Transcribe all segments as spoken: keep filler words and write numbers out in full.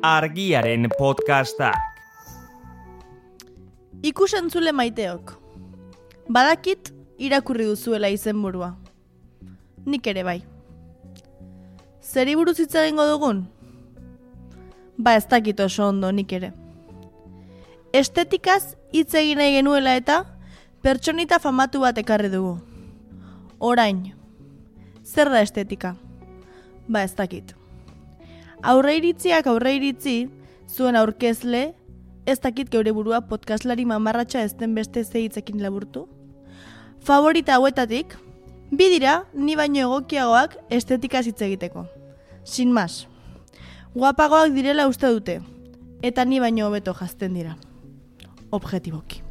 Argiaren podcastak. Ikusentzule maiteok. Badakit irakurri duzuela izenburua. Nik ere bai. Zeri buruz hitz egingo dugun? Ba, ez dakit oso ondo nik ere. Estetikaz hitz egin nahi genuela eta pertsonita famatu bat ekarri dugu. Orain. Zer da estetika? Ba, ez dakit. Aurreiritziak aurreiritzi, zuen aurkezle, ez dakit geure burua podcastlari mamarratxa ez den beste zehitzekin laburtu. Favorita hauetatik, bi dira ni baino egokiagoak estetikaz hitz egiteko. Sin mas. Guapagoak direla uste dute, eta ni baino hobeto jazten dira. Objetiboki.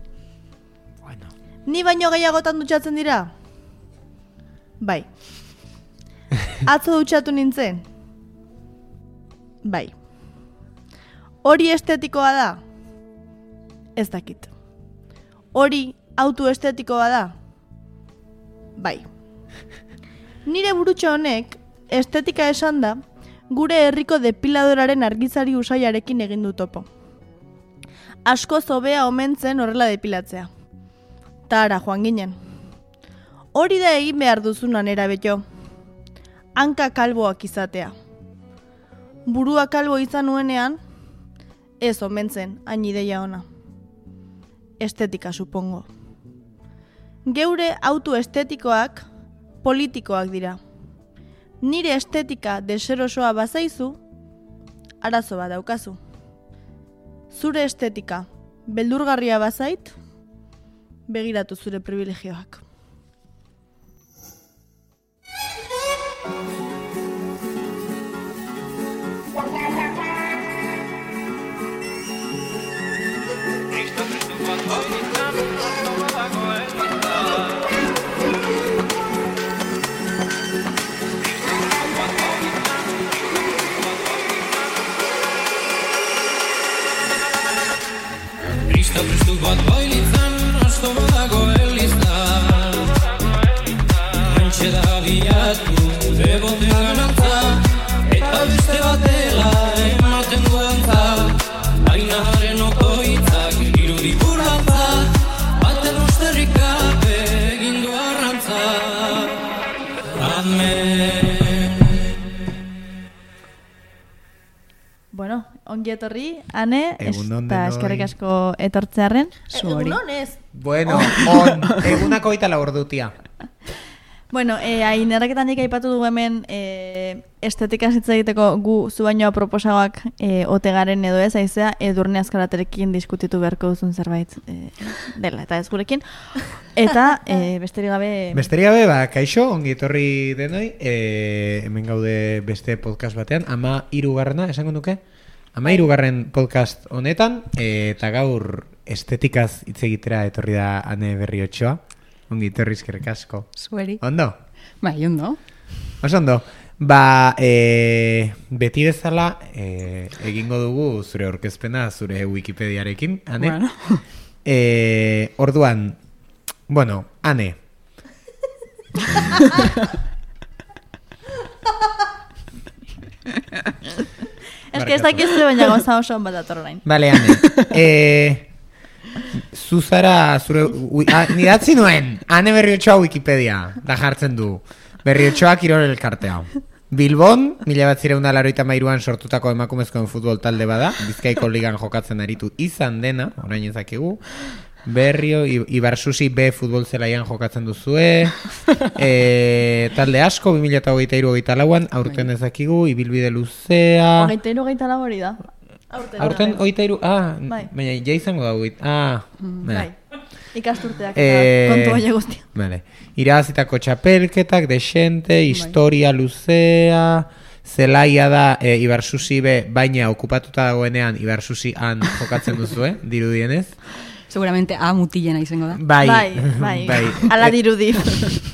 Bueno. Ni baino gehiagotan dutxatzen dira? Bai. Atzo dutxatu nintzen? Bai. Hori estetikoa da? Ez dakit. Hori autoestetikoa da? Bai. Nire burutxo honek, estetika esan da, gure herriko depiladoraren argizari usaiarekin egin du topo. Asko zobea omentzen horrela depilatzea. Tara, joan ginen. Hori da egin behar duzunan erabeto. Hanka kalboak izatea. Burua kalbo izan nuenean, ez omentzen, hain ideia ona. Estetika, supongo. Geure autoestetikoak politikoak dira. Nire estetika deserosoa bazaizu, arazo bat daukazu. Zure estetika beldurgarria bazait, begiratu zure privilegioak. Prestu bat bailitzan, asto badago elizan. Antxe da bilatu, bebote ganantza, eta beste batela ematen duantza. Baina haren okoitzak irudi burantza, baten osterrikape egin du arrantza. Amen. Bueno, ongi etorri, Ane, Egunon eta denoi. eskerrik asko etortzearen. Egunon ez. Bueno, on, egunako oita la ordutia. Bueno, eh, ainerraketan nik aipatu dugu hemen eh, estetika hitz egiteko gu zu baino proposagoak eh, ote garen edo ez, aizea Edurne Azkaraterekin diskutitu beharko duzun zerbait eh, dela, eta ez gurekin. Eta eh, besterik gabe... Besterik gabe, ba, kaixo, ongi etorri denoi, e, hemen gaude beste podcast batean, ama hirugarrena, esango nuke? Ama hirugarren podcast honetan, e, eta gaur estetikaz hitz egitera etorri da Ane Berriotxoa. Ongi etorri eskerrik asko. Zueri. Ondo? Bai, ondo. Oso ondo. Ba, e, beti bezala e, egingo dugu zure aurkezpena zure Wikipediarekin, Ane. Bueno. E, orduan, bueno, Ane. Ez que ez dakizte baina goza oso bat dator orain. Bale, Ane. E, zuzara, zure, ui, a, nidatzi nuen, Ane Berriotxoa Wikipedia, da jartzen du. Berriotxoa Kirol elkartea. Bilbon, mila bat zireun da laroita mairuan sortutako emakumezkoen futbol talde bada, Bizkaiko ligan jokatzen aritu izan dena, orain ezakigu. Berrio, Ibarsusi B futbol zelaian jokatzen duzue, e, talde asko, bi mila hogeita hiru hogeita lauan, aurten ezakigu, ibilbide luzea... Hogeita hiru hogeita lau hori da. Aurten. Aurten hogeita hiru, ah, Bai. baina ja izango da hogeita, ah, Bai. Ikasturteak eta Eh, kontu baina guztia. Vale. Irabazitako txapelketak, desente, historia luzea, zelaia da e, Ibarsusi be, baina okupatuta dagoenean Ibarsusi han jokatzen duzu, eh? Dirudienez. Seguramente A mutilena izango da. Bai, Bai, bai. Ala dirudi.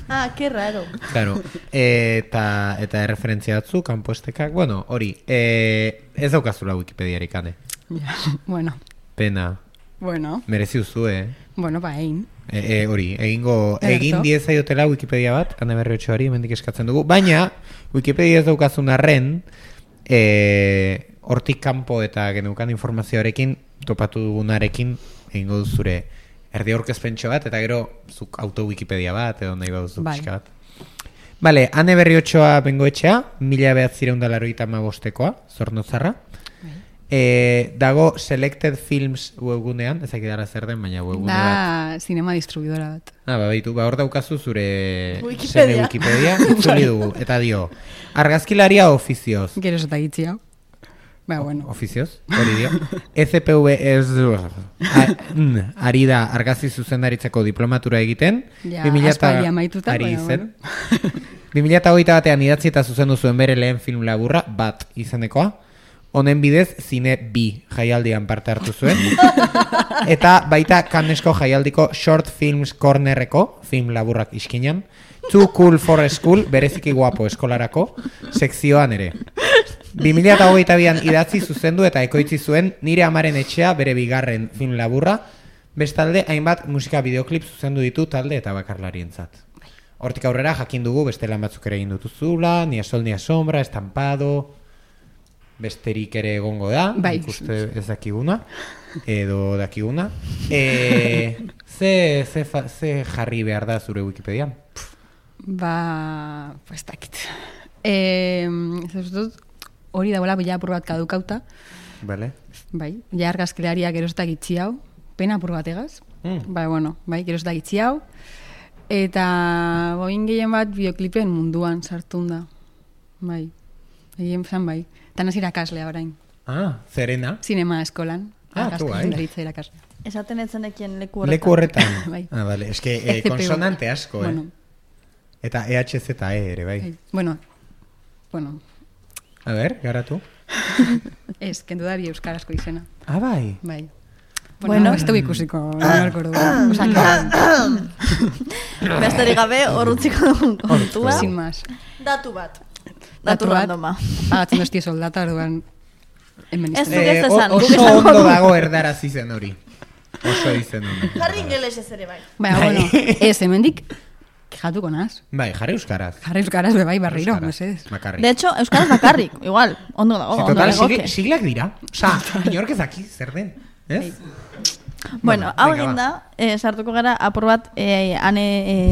Ah, que raro. Claro. Eta, eta erreferentzia batzu, kanpoestekak, bueno, hori. E, ez daukazula Wikipediarik, Ane. Ja, bueno. Pena. Bueno. Merezi duzu, eh? Bueno, ba, egin. E, e, hori, egingo, Ederto. egin diezaiotela Wikipedia bat, Ane Berriotxoari, hemendik eskatzen dugu. Baina, Wikipedia ez daukazun arren, e, hortik kanpo eta geneukan informazioarekin, topatu dugunarekin, egingo du zure erdi aurkezpentxo bat, eta gero zuk auto-wikipedia bat, edo nahi baduzu Bai. pixka bat. Bale, Ane Berriotxoa bengoetxea, mila behatzireun da larogeita hamabostekoa, Zornozarra. E, dago Selected Films webgunean, ezak idara zer den, baina webgune bat. Da, zinema distribuidora bat. Ah, ba, baitu, ba, hor daukazu zure Wikipedia. seme Wikipedia, itzuli dugu, eta dio, argazkilaria ofizioz. Gero eta gitzi hau. Ba, bueno. Ofizioz, hori dio. E Z P V ez ari da argazki zuzendaritzako diplomatura egiten. Ja, bi mila eta- aspaldi amaituta, ari baina, zen. bi mila hogeita batean idatzi eta zuzendu zuen bere lehen film laburra, Bat izenekoa. Honen bidez, zine bi jaialdian parte hartu zuen. Eta baita Cannesko jaialdiko Short Films Cornerreko film laburrak iskinan. Too Cool for School, bereziki guapo eskolarako, sekzioan ere. bi mila hogeita bian idatzi zuzendu eta ekoitzi zuen Nire amaren etxea bere bigarren film laburra, bestalde hainbat musika bideoklip zuzendu ditu talde eta bakarlarientzat. Hortik aurrera jakin dugu beste lan batzuk ere egin dutuzula, Ni a sol ni a sombra, Estampado, besterik ere egongo da, Bai. ikuste ez dakiguna, edo dakiguna. E, ze, ze, fa, ze jarri behar da zure Wikipedian? Ba, pues dakit. Eh, ez dut, hori dagoela ja apur bat kadukauta. Vale. Bai, ja argazkilariak gero ez da gitzi hau. Pena apur bat egaz. Mm. Bai, bueno, bai, gero ez da gitzi hau. Eta boin gehien bat bideoklipen munduan sartun da. Bai, egin zan bai. Eta nazi irakaslea orain. Ah, zerena? Zinema eskolan. Ah, argazki tu, bai. zuzendaritza irakaslea. Esaten etzenekien leku horretan. Leku horretan. Bai. Ah, vale. Ez que E eh, C P U. konsonante asko, eh? Bueno, Eta E H Z E ere, bai. bai. bueno, bueno, A ber, garatu. ez, kendu dari euskarazko izena. Ah, bai. Bai. Bueno. Bueno, ez dugu ikusiko, norko dugu. Osa, que, Besterik gabe, horrutziko dugun kontua. sin más. Datu bat. Datu Datu bat. randoma. Pagatzen dozti soldata, orduan, hemen Ez izan. zuk ez Eh, o- esan, guk oso esango ondo dugu. dago erdaraz izen hori. Oso izen hori. Jarri ingelesez ere bai. Baina, bueno, ez, hemendik, kejatuko naz. Bai, jarri euskaraz. Jarri euskaraz be bai barriro, Euskaraz, mesedez. Bakarrik. De hecho, euskaraz bakarrik, igual, ondo dago, Si, ondo total, legoke. sigl- siglak dira. Osa, inork ez daki, zer den. Ez? Bueno, Bueno, hau venga, egin ba. da, eh, sartuko gara apur bat eh, ane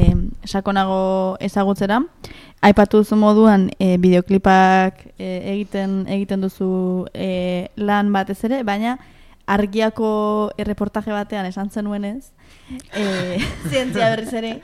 eh, sakonago ezagutzera. Aipatu duzu moduan eh, bideoklipak eh, egiten egiten duzu eh, lan batez ere, baina argiako erreportaje batean esan zenuenez, eh, zientzia berriz ere,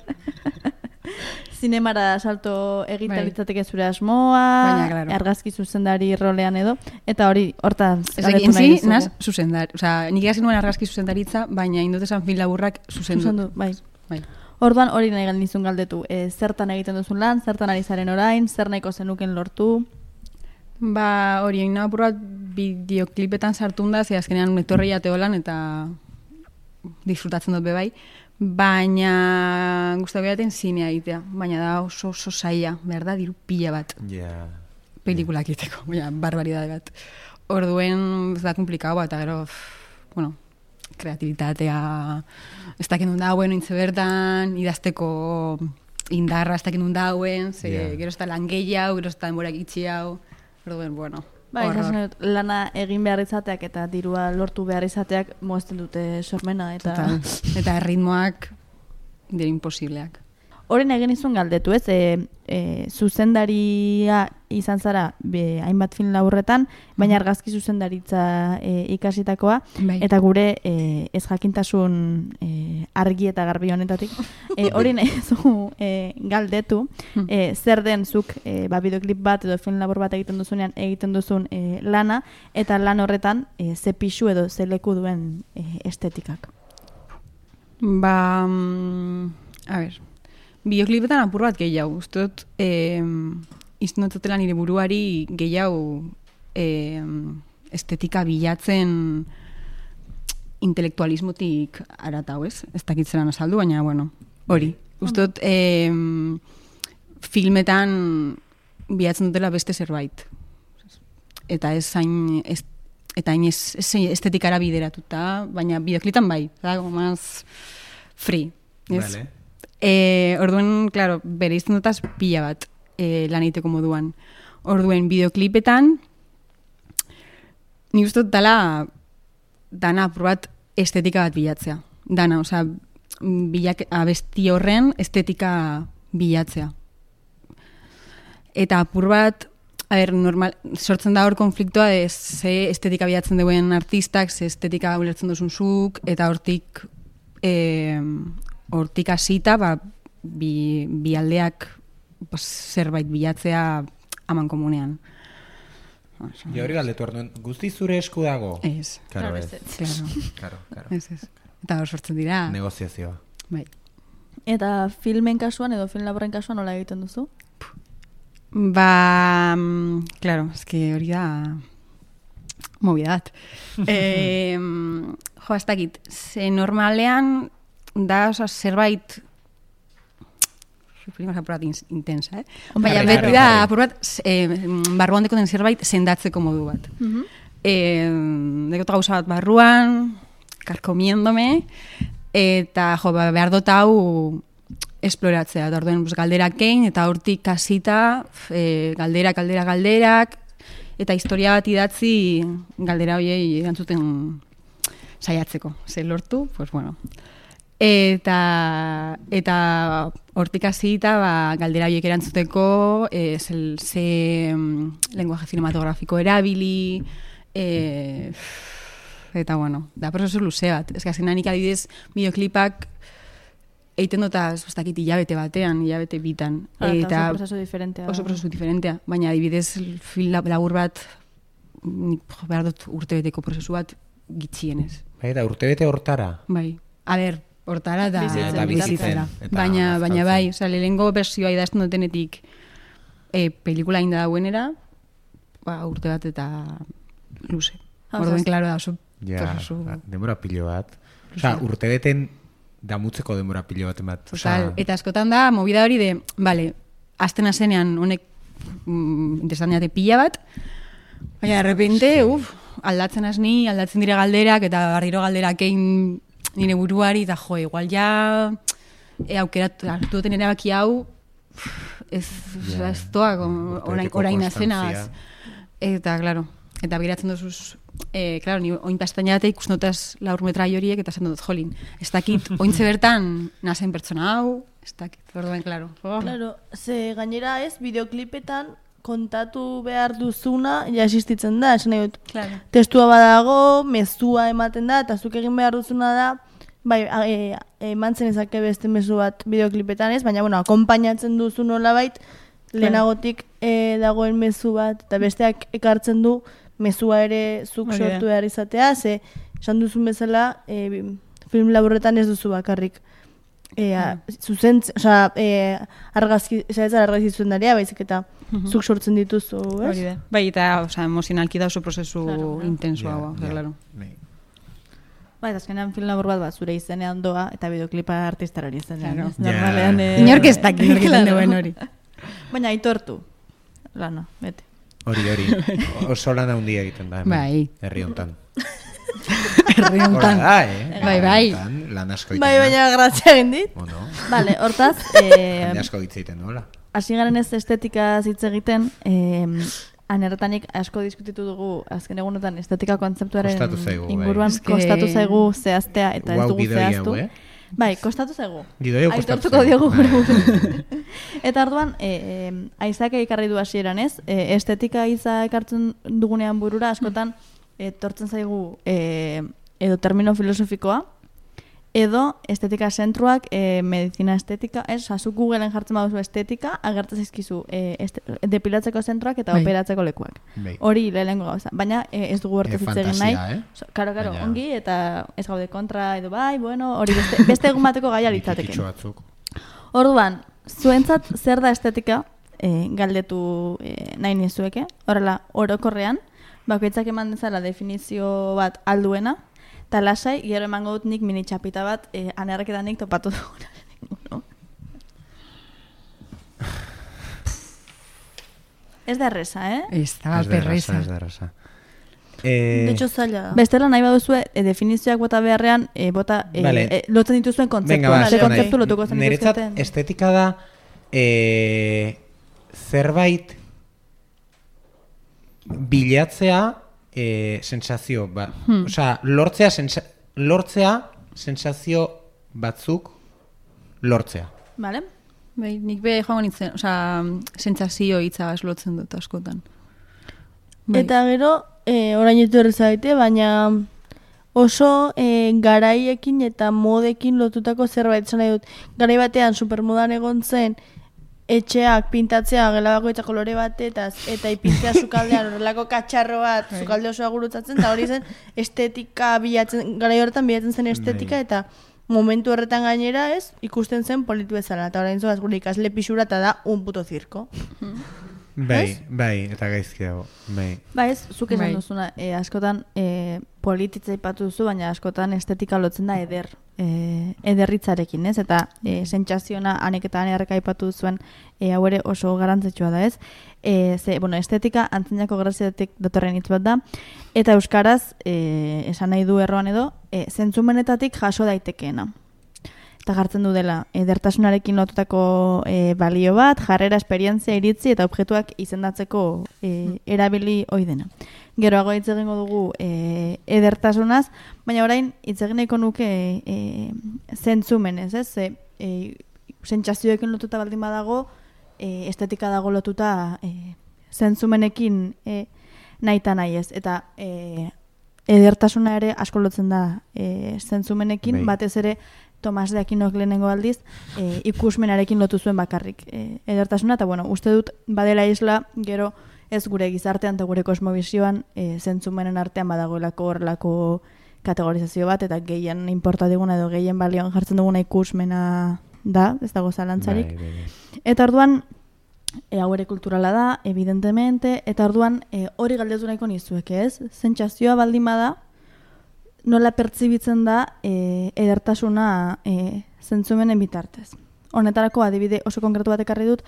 zinemara salto egiten Bai. litzateke zure asmoa, Baina, claro. argazki zuzendari rolean edo, eta hori hortan Ez galdetu egin nahi zi, dizugu. naz, zuzendar. Osa, nik egin nuen argazki zuzendaritza, baina indut esan film laburrak zuzendu. Zuzendu, bai. Bai. Orduan hori nahi galdizun galdetu, e, zertan egiten duzun lan, zertan ari zaren orain, zer nahiko zenuken lortu. Ba, hori egin apur bat bideoklipetan sartun da, ze azkenean etorri jateolan eta disfrutatzen dut bebai. Baina gustatu jaten zinea egitea, baina da oso oso saia, behar da, diru pila bat Ja. pelikulak egiteko, baina barbaridade bat. Orduen ez da komplikau bat, eta gero, pff, bueno, kreatibitatea, ez dakit nun dauen, ointze bertan, idazteko indarra ez dakit nun dauen, ze Ja. gero ez da lan gehiago, gero ez da denborak itxi hau, orduen, bueno, Bai, horror. esaten dut, lana egin behar izateak eta dirua lortu behar izateak mozten dute sormena eta Total. Eta erritmoak dira imposibleak. Horren egin izun galdetu, ez? E, e, zuzendaria izan zara be, hainbat film laburretan, baina argazki zuzendaritza e, ikasitakoa, Bai. eta gure e, ez jakintasun e, argi eta garbi honetatik, e, hori nahi zu e, galdetu, e, zer den zuk e, ba, bideoklip bat edo film labur bat egiten duzunean egiten duzun e, lana, eta lan horretan e, ze pixu edo ze leku duen e, estetikak. Ba, mm, a ber, bideoklipetan apur bat gehiago. Uste dut, eh, iznotzatela nire buruari gehiago eh, estetika bilatzen intelektualismotik aratau, ez? Ez dakitzeran azaldu, baina, bueno, hori. Uste dut, eh, filmetan bilatzen dutela beste zerbait. Eta ez hain, ez, eta hain ez, ez estetikara bideratuta, baina bideoklitan bai, da, más free. Ez? Vale. E, orduen, claro, bere izan dutaz pila bat e, lan egiteko moduan. Orduen, bideoklipetan ni uste dut dala dana apur bat estetika bat bilatzea. Dana, osea, bilak, abesti horren estetika bilatzea. Eta apur bat, a ber, normal, sortzen da hor konfliktoa de ze estetika bilatzen duen artistak, ze estetika ulertzen duzun zuk, eta hortik eh, hortik hasita, ba, bi, bi aldeak pues, zerbait bilatzea aman komunean. Jo hori galdetu arduen, guzti zure esku dago? Ez. Claro, ez. Claro. Claro, claro. Ez, ez. Eta hor sortzen dira. Negoziazioa. Bai. Eta filmen kasuan edo film laburren kasuan nola egiten duzu? Ba, mm, claro, es que hori da movida bat. eh, jo, ez dakit, ze normalean da, oza, zerbait primaz apur bat intensa, eh? Baina Jarri, beti jarri, da, jarri. apur bat, eh, barruan deko den zerbait sendatzeko modu bat. Mhm. Eh, dekot gauza bat barruan, karkomiendome, eta jo, ba, behar dut hau esploratzea, eta orduen galderak egin, eta hortik kasita, e, galderak, galdera, galderak, eta historia bat idatzi galdera horiei erantzuten saiatzeko. Ze lortu, pues bueno. Eta, eta hortik hasita ba, galdera horiek erantzuteko, e, ze, ze mm, lenguaje cinematografiko erabili, e, eta bueno, da prozesu luze bat. Ez que azkenan nik adibidez bideoklipak eiten dota, ez dakit, hilabete batean, hilabete bitan. Ah, eta oso prozesu diferentea. Oso prozesu diferentea. Baina adibidez film labur bat, nik behar dut urtebeteko prozesu bat gitxienez. Bai, eta urtebete hortara. Bai. A ber, hortara da Bizitzen, eta bizitzen, bizitzera. eta Baina, baina bazkaltzen. bai, oza, lehenengo versioa idazten dutenetik e, pelikula inda dauenera, ba, urte bat eta luze. Ah, Orduen, osea, klaro da, oso Ja, prozesu. denbora pilo bat. Osa, urtebeten damutzeko denbora pilo bat emat. Total, eta askotan da, movida hori de, vale, azten azenean honek mm, interesanteate pila bat, baina, de repente, Sí. uf, aldatzen asni, aldatzen dire galderak, eta barriro galderak egin nire buruari, eta jo, igual ja, e, aukerat, hartu duten erabaki hau, ez, Ja, ez doa, orain, urtebeteko orain konstantzia. azenaz. Eta, claro, eta begiratzen duzuz, eh, claro, ni oin pastainate ikusten dutaz laur metrai horiek, eta esan dut, jolin, ez dakit, ointze bertan nazen pertsona hau, ez dakit, orduen, claro. Oh. Claro, ze gainera ez, bideoklipetan kontatu behar duzuna ja existitzen da, esan nahi dut. Claro. Testua badago, mezua ematen da, eta zuk egin behar duzuna da, bai, e, eman zen ezake beste mezu bat bideoklipetan ez, baina, bueno, akompainatzen duzu nolabait, lehenagotik e, dagoen mezu bat, eta besteak ekartzen du mezua ere zuk Hori da. sortu behar izatea, ze, esan duzun bezala, e, bi- film laburretan ez duzu bakarrik. E, a, zuzen, osea, e, argazki, ez argazki zuzendaria, baizik eta zuk sortzen dituzu, ez? Hori da. Bai, eta, osea, emozionalki da oso prozesu Claro, claro. intensoa, Ja, ba, ja, claro. bai. Bai, eta azkenean film labur bat, bat zure izenean doa, eta bideoklipa artistarari izenean. Claro. ez? Normalean, Ja. eh, Inork ez dakit nork egiten Claro. duen hori. Baina aitortu. Lana, bete. Hori, hori. Oso lan handia egiten da, hemen. Bai. Herri hontan. Herri Hora hontan. da, eh? Bai, bai. Hontan, lan asko egiten Bai, da. baina grazia egin dit. Bueno, Vale, hortaz, eh, jende asko hitz egiten dola. hasi garen ez estetika hitz egiten, eh, anertanik asko diskutitu dugu azken egunotan estetika kontzeptuaren Kostatu zaigu, bai. inguruan Eske- kostatu zaigu zehaztea eta ez Guau, dugu gidoia zehaztu. hau, eh? Bai, kostatu zaigu. Gidoia kostatu Aitortuko zaigu. diogu Bai. gure Eta orduan, e, e, aizake ekarri du hasieran ez, e, estetika hitza ekartzen dugunean burura, askotan, etortzen zaigu e, edo termino filosofikoa, edo estetika zentruak, e, medizina estetika, ez, azuk Googleen jartzen baduzu estetika, agertzen zaizkizu e, este, depilatzeko zentruak eta Bai. operatzeko lekuak. Bai. Hori lehenengo gauza, baina e, ez dugu hortez E, hitz egin nahi. fantasia, eh? So, karo, karo, Baina- ongi, eta ez gaude kontra, edo bai, bueno, hori beste, beste egun bateko gaia litzateke. Kitxo batzuk. Orduan, zuentzat zer da estetika, e, galdetu e, nahi nizueke, horrela, orokorrean, bakoitzak eman dezala definizio bat alduena, eta lasai, gero emango dut nik mini txapita bat, e, anerreketanik topatu duguna. No? Ez da erresa, eh? Ez da, Ez da erraza, perreza. ez da erraza. Eh, De hecho, zaila da. Bestela nahi baduzue, e, definizioak bota beharrean, e, bota, e, Vale. e, lotzen dituzuen Venga, kontzeptua. ba, Ze esan nahi. kontzeptu lotuko zen Niretzat dituzten. estetika da eh, zerbait bilatzea eh, sensazio, ba, Hmm. osea, lortzea, sensa, lortzea sensazio batzuk lortzea. Vale? Bai, nik be joango nintzen, osea, sentsazio hitza lotzen dut askotan. Bai. Eta gero, e, orain etu errezaite, baina oso e, garaiekin eta modekin lotutako zerbait esan nahi dut. Garai batean supermodan egon zen, etxeak pintatzea gela bakoitza kolore batetaz, eta ipintzea sukaldean horrelako katxarro bat, sukalde osoa gurutzatzen, eta hori zen estetika bilatzen, garai horretan bilatzen zen estetika, eta momentu horretan gainera ez, ikusten zen politu bezala, eta orain zoaz gure ikasle pixura eta da un puto zirko. Bai, bai, eta gaizki dago, bai. Ba ez, zuk esan Bai. duzuna, e, askotan e, polititza ipatu duzu, baina askotan estetika lotzen da eder, e, ederritzarekin, ez? Eta e, sentsazioa anek eta anerreka aipatu duzuen e, hau ere oso garrantzitsua da, ez? E, ze, bueno, estetika antzinako graziatik datorren hitz bat da, eta euskaraz, e, esan nahi du erroan edo, e, zentzumenetatik jaso daitekeena. Eta jartzen du dela, edertasunarekin lotutako e, balio bat, jarrera, esperientzia, iritzi eta objektuak izendatzeko e, erabili ohi dena. Geroago hitz egingo dugu e, edertasunaz, baina orain hitz egin nahiko nuke e, zentzumenez, ez? Ze, e, sentsazioekin lotuta baldin badago, e, estetika dago lotuta e, zentzumenekin e, nahita nahi ez. Eta e, edertasuna ere asko lotzen da e, zentzumenekin, Bai. batez ere Tomas de Akinok lehenengo aldiz e, ikusmenarekin lotu zuen bakarrik e, edertasuna, eta bueno, uste dut badela isla gero ez gure gizartean eta gure kosmobizioan e, zentzumenen artean badagoelako horrelako kategorizazio bat, eta gehien inporta diguna edo gehien balioan jartzen duguna ikusmena da, ez dago zalantzarik. Bai, bai, bai. Eta orduan, e, hau ere kulturala da, evidentemente, eta orduan e, hori galdetu nahiko nizuek, ez? Sentsazioa baldin bada, nola pertsibitzen da e, edertasuna e, zentzumenen bitartez. Honetarako adibide oso konkretu bat ekarri dut,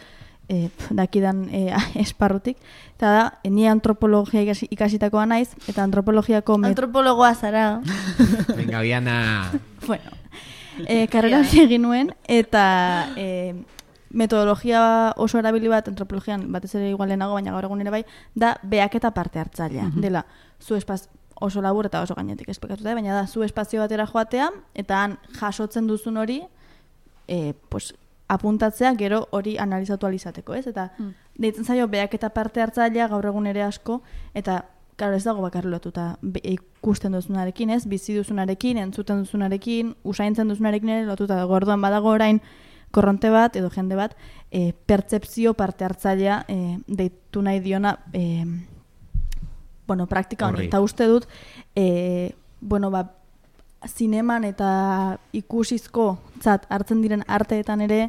e, pf, dakidan e, esparrutik, eta da, e, ni antropologia ikasi, ikasitakoa naiz, eta antropologiako... met- Antropologoa zara. Venga, Biana. bueno, e, karrera hori egin nuen, eta e, metodologia oso erabili bat antropologian, batez ere igual lehenago, baina gaur egun ere bai, da beaketa parte hartzailea. Dela, zu espaz oso labur eta oso gainetik esplikatuta, baina da, zu espazio batera joatea, eta han jasotzen duzun hori, e, pues, apuntatzea gero hori analizatu alizateko, ez? Eta Mm. deitzen zaio beaketa parte hartzailea gaur egun ere asko, eta claro, ez dago bakarri lotuta be- ikusten duzunarekin, ez? Bizi duzunarekin, entzuten duzunarekin, usaintzen duzunarekin ere lotuta dago. Orduan badago orain korronte bat edo jende bat e, pertzepzio parte hartzailea e, deitu nahi diona e, bueno, praktika honi. Horri. Eta uste dut e, bueno, ba, zineman eta ikusizko tzat hartzen diren arteetan ere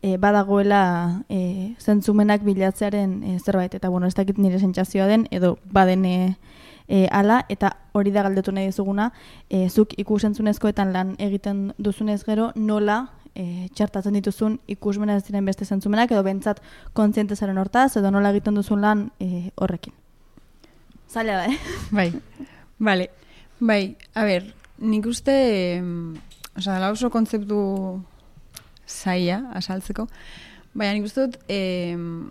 e, badagoela e, zentzumenak bilatzearen e, zerbait. Eta bueno, ez dakit nire sentsazioa den edo baden e, e, ala, eta hori da galdetu nahi dizuguna, e, zuk ikusentzunezkoetan lan egiten duzunez gero nola e, txartatzen dituzun ikusmena ez diren beste zentzumenak edo bentsat kontziente zaren hortaz edo nola egiten duzun lan e, horrekin. Zaila da, eh? Bai, vale. Bai, a ber, nik uste, em, osea, da oso kontzeptu zaila azaltzeko, baina nik uste dut, em,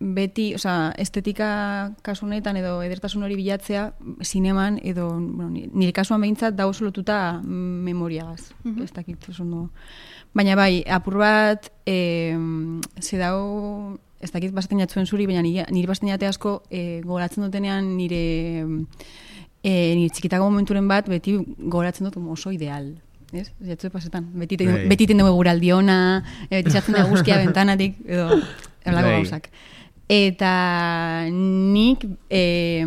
beti, osea, estetika kasu honetan edo edertasun hori bilatzea zineman edo, bueno, ni- nire kasuan behintzat da oso lotuta memoriagaz, ez dakit oso ondo. Baina bai, apur bat, em, ze dau, ez dakit basaten jatzuen zuri, baina nire, nire basaten jate asko e, gogoratzen dutenean nire, e, nire txikitako momenturen bat beti gogoratzen dut oso ideal. Ez? Jatzu pasetan. Beti ten, Bai. beti ten dugu guraldi ona, e, beti sartzen da guzkia bentanatik, edo elako Bai. gauzak. Eta nik, e,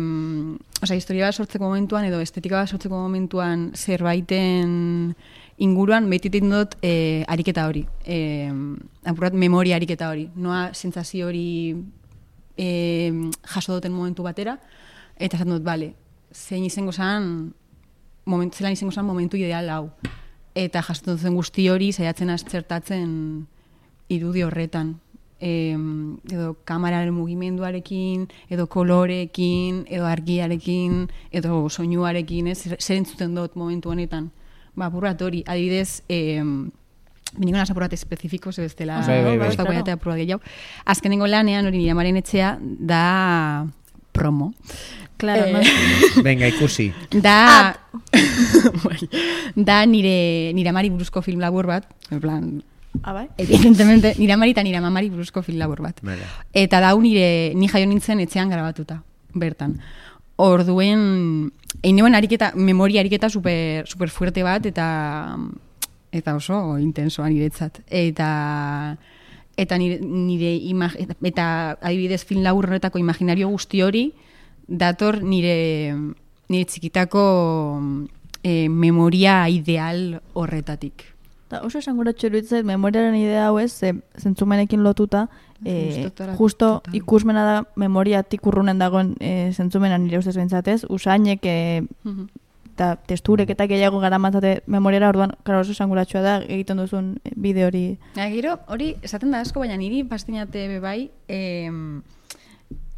osea, historia bat sortzeko momentuan, edo estetika bat sortzeko momentuan zerbaiten inguruan beti egiten dut e, ariketa hori. E, apurat memoria ariketa hori. Noa sentsazio hori e, jaso duten momentu batera, eta esaten dut, bale, zein izango zan, moment, zelan izango zan momentu ideal hau. Eta jasotzen zen guzti hori saiatzen aztertatzen irudi horretan. E, edo kamararen mugimenduarekin, edo koloreekin, edo argiarekin, edo soinuarekin, ez, zer entzuten dut momentu honetan. Ba, apurat hori, adibidez, eh, biniko nas apurat espezifiko, ze bestela, Bai, bai, bai. ostako jatea apurat gehiago. Azkenengo lanean, hori nire amaren etxea, da promo. Claro, Eh, no? Venga, ikusi. Da, bai, da nire, nire amari buruzko film labur bat, en plan, Ah, bai? evidentemente, nire amari eta nire mamari buruzko film labur bat. Vale. Eta dau nire, ni jaio nintzen etxean grabatuta, bertan. Orduen, eineuen ariketa, memoria ariketa super, super fuerte bat, eta eta oso intensoa niretzat. Eta eta nire, nire imag, eta, eta adibidez film labur horretako imaginario guzti hori dator nire nire txikitako eh, memoria ideal horretatik. Ta oso esanguratxo iruditzait memoriaren idea hau ez, ze, zentzumenekin lotuta, e, Justo, justo total. ikusmena da memoriatik urrunen dagoen e, zentzumena nire ustez bentsatez, usainek e, eta testurek eta gehiago garamatzate memoriara, orduan, karo oso esanguratxoa da egiten duzun bide hori. Ja, gero, hori esaten da asko, baina niri pastinate bebai, eh,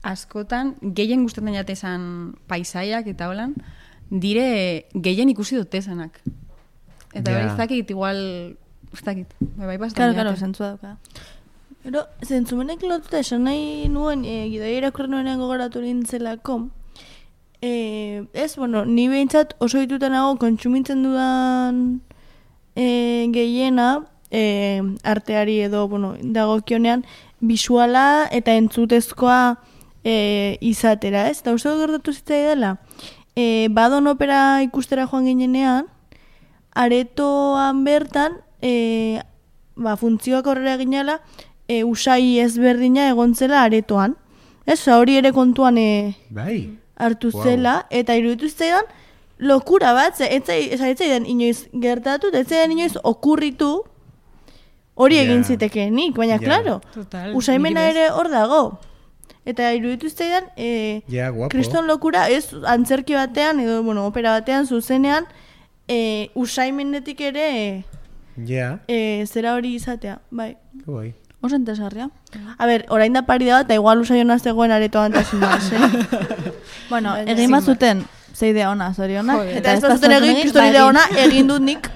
askotan, gehien gustatzen jate esan paisaiak eta holan, dire gehien ikusi dut esanak. Eta Ja. hori ez dakit, igual, ez dakit, bebai Karo, pasten karo, jate. zentzua dauka. Ero, zentzumenek lotuta esan nahi nuen, e, gidoia irakurri nuenean gogoratu nintzelako, e, ez, bueno, ni behintzat oso dituta nago kontsumitzen dudan e, gehiena, e, arteari edo, bueno, dagokionean, bisuala eta entzutezkoa e, izatera, ez? Eta uste dut gertatu zitzai dela, e, badon opera ikustera joan ginenean, aretoan bertan, e, ba, funtzioak horrela ginela, e, usai ezberdina egontzela aretoan. Ez, oza, hori ere kontuan e, Bai. hartu Wow. zela, eta iruditu zitzaidan lokura bat, ze, etzai, ez zaidan inoiz gertatu, eta ez zaidan inoiz okurritu hori Ja. egin zitekeenik, baina, Ja. claro, Total, usaimena niri bez. ere hor dago. Eta iruditu zitzaidan, e, Ja, guapo. kriston lokura, ez antzerki batean, edo, bueno, opera batean, zuzenean, e, usaimenetik ere Ja, e, zera hori izatea, bai. que guai. Oso entesgarria. A ber, orain da pari da bat, eta igual usaiona zegoen aretoan eta sin más, eh? Bueno, Baina- egin bazuten zeidea ona, zorionak. Joder. Eta ez bazuten egin, kriston idea ona, egin dut nik.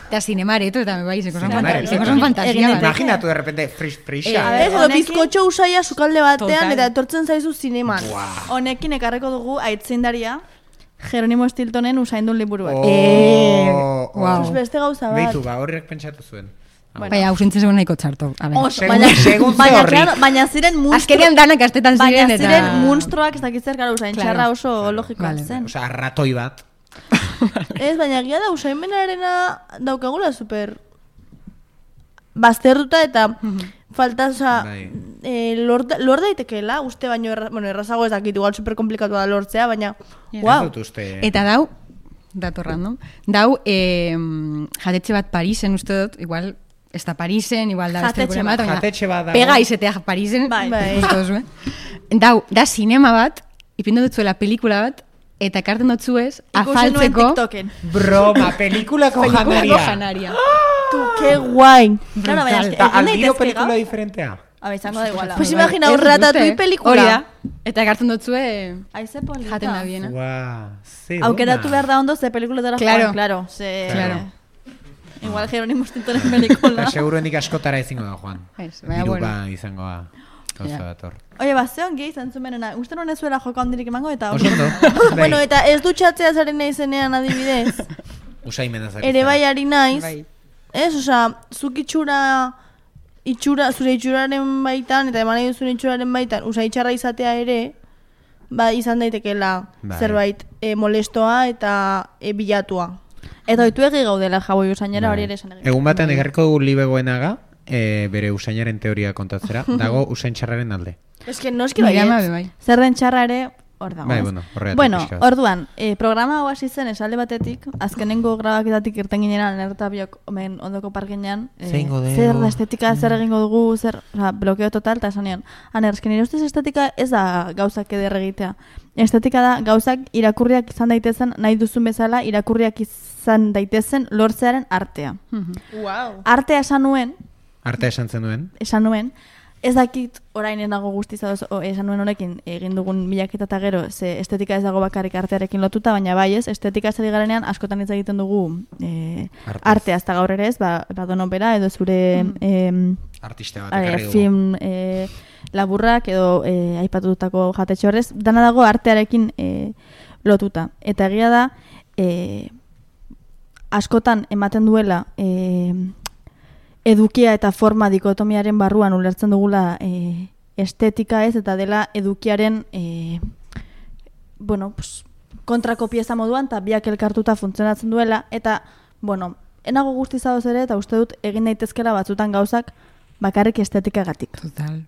Eta zinemareto, eta bai, zeko son Zinemareto. fantasia, zeko son fantasia. Egin bat. daiteke. Imaginatu de repente frish frisha. Eh, Ez, edo honekin- bizkotxo usaia sukalde batean, Total. eta etortzen zaizu zineman. Honekin ekarreko dugu aitzindaria Jeronimo Stiltonen usaindun liburu bat. Eh, Oh, wow. Pues beste gauza bat. Beitu, ba, horrek pentsatu zuen. Bueno. Baina, ausentzen zegoen nahiko txarto. A ver. Oso, Segun- baina, segun ze baina, horri. claro, baina ziren munstru, Azkenean danak astetan baina ziren, eta... ziren munstruak ez dakit zer, gara, usain Claro. txarra oso logikoa Vale. zen. Osa, ratoi bat. Ez, baina gira da usaimenarena daukagula super bazterduta eta falta, oza, Bai. e, lor, da- lor daitekeela, uste baino, erra, bueno, errazago ez dakit, igual super komplikatua da lortzea, baina, Ja. Ez wow. dut uste. Eta dau, dator random, dau, eh, jatetxe bat Parisen uste dut, igual, ez da Parisen, igual da beste Jatetxe gure bat, bat. baina Jatetxe bat dago. pega izetea Parisen, Bai. Bai. justo duzu, eh? Dau, da sinema bat, ipindu dutzuela pelikula bat, eta ekarten dutzuez, Ikusi nuen afaltzeko TikToken. Broma, pelikulako pelikulako janaria. janaria. Tu, ke guai. Claro, baina, Brutal. eske, Eta egin aldiro daitezke pelikula gaur. diferentea. A ver, izango da iguala. Pues Bai, imagina, ez un dut ratatouille uste, pelikula. Hori da. Eta ekartzen dutzue, Aize polita. jaten da biena. Ua, ze Aukeratu ona. behar da ondo ze pelikuletara Claro. joan, claro. Ze... Claro. Igual Jeronimo Stiltonen pelikula. Eta seguruenik askotara izango da, Juan. Ez, baina, Diruka bueno. izango da. Gauza Ja. dator. Oie, ba, ze ongi izan zumenena. Uste nuen ez zuela joko handirik emango eta... Oso ondo. Bueno, Bai. eta ez dutxatzea zaren naizenean adibidez, Usaimena zari. ere bai ari naiz, Bai. ez, osea, zuk itxura, itxura, zure itxuraren baitan, eta eman nahi duzun itxuraren baitan, osea, itxarra izatea ere, ba, izan daitekeela Bai. zerbait e, molestoa eta e, bilatua. Eta oitu egi gaudela jaboi usainera hori ere esan egin. Egun batean egarriko dugu libegoenaga, e, bere usainaren teoria kontatzera, dago usain txarraren alde. Ez que noski Nire ama baietz. be bai. Zer den txarra ere hor dago. Bai, ez? bueno, horregatik Bueno, pixka bat. orduan, eh, programa hau hasi zen esalde batetik, azkenengo grabaketatik irten ginean, nerta biok omen ondoko parkenean, eh, Zeingo dugu? zer da estetika, zer egingo dugu, zer, oza, blokeo total, eta esan nion, aner, esken nire ustez estetika ez da gauzak eder egitea. Estetika da gauzak irakurriak izan daitezen, nahi duzun bezala, irakurriak izan daitezen lortzearen artea. Wow. Artea esan nuen, Arte esan zen duen. esan nuen, ez dakit orain ez nago guztiz ados, o, esan nuen honekin egin dugun bilaketa eta gero, ze estetika ez dago bakarrik artearekin lotuta, baina bai ez, estetika ez ari garenean askotan hitz egiten dugu e, Artez. artea, ez da gaur ere ez, ba, ba donopera edo zure em, Artista bat eh, ekarri dugu. film, e, laburrak edo e, aipatutako jatetxe horrez, dana dago artearekin e, lotuta. Eta egia da, e, askotan ematen duela e, edukia eta forma dikotomiaren barruan ulertzen dugula e, estetika ez, eta dela edukiaren e, bueno, pues, kontrako pieza moduan, eta biak elkartuta funtzionatzen duela, eta, bueno, enago guztiz adoz ere, eta uste dut egin daitezkela batzutan gauzak bakarrik estetikagatik. Total.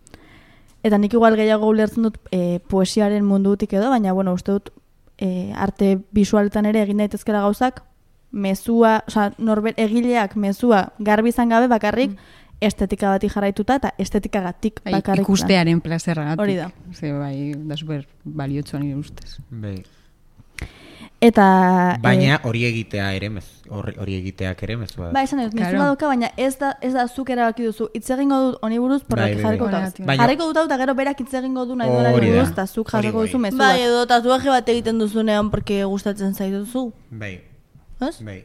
Eta nik igual gehiago ulertzen dut e, poesiaren mundutik edo, baina, bueno, uste dut e, arte bisualetan ere egin daitezkela gauzak, mezua, osea, norbert egileak mezua garbi izan gabe bakarrik, mm. estetika bati jarraituta eta estetikagatik Bai, bakarrik. ikustearen plazerragatik. Hori da. Ze, bai, da super baliotsua nire ustez. Bai. Eta Baina eh, hori egitea ere mez, hori, hori egiteak ere mezua da. Ba, esan dut, Claro. mezua dauka, baina ez da, ez da zuk erabaki duzu. Hitz egingo dut honi buruz, porrak Bai, bai, jarriko bai. dut. Baina- Jarriko dut hau, eta gero berak hitz egingo du nahi duela Hori da. buruz, eta zuk Hori jarriko bai. duzu mezu Bai, bat. edo tatuaje bat egiten duzunean porque gustatzen zaituzu. Bai, Ez? bai.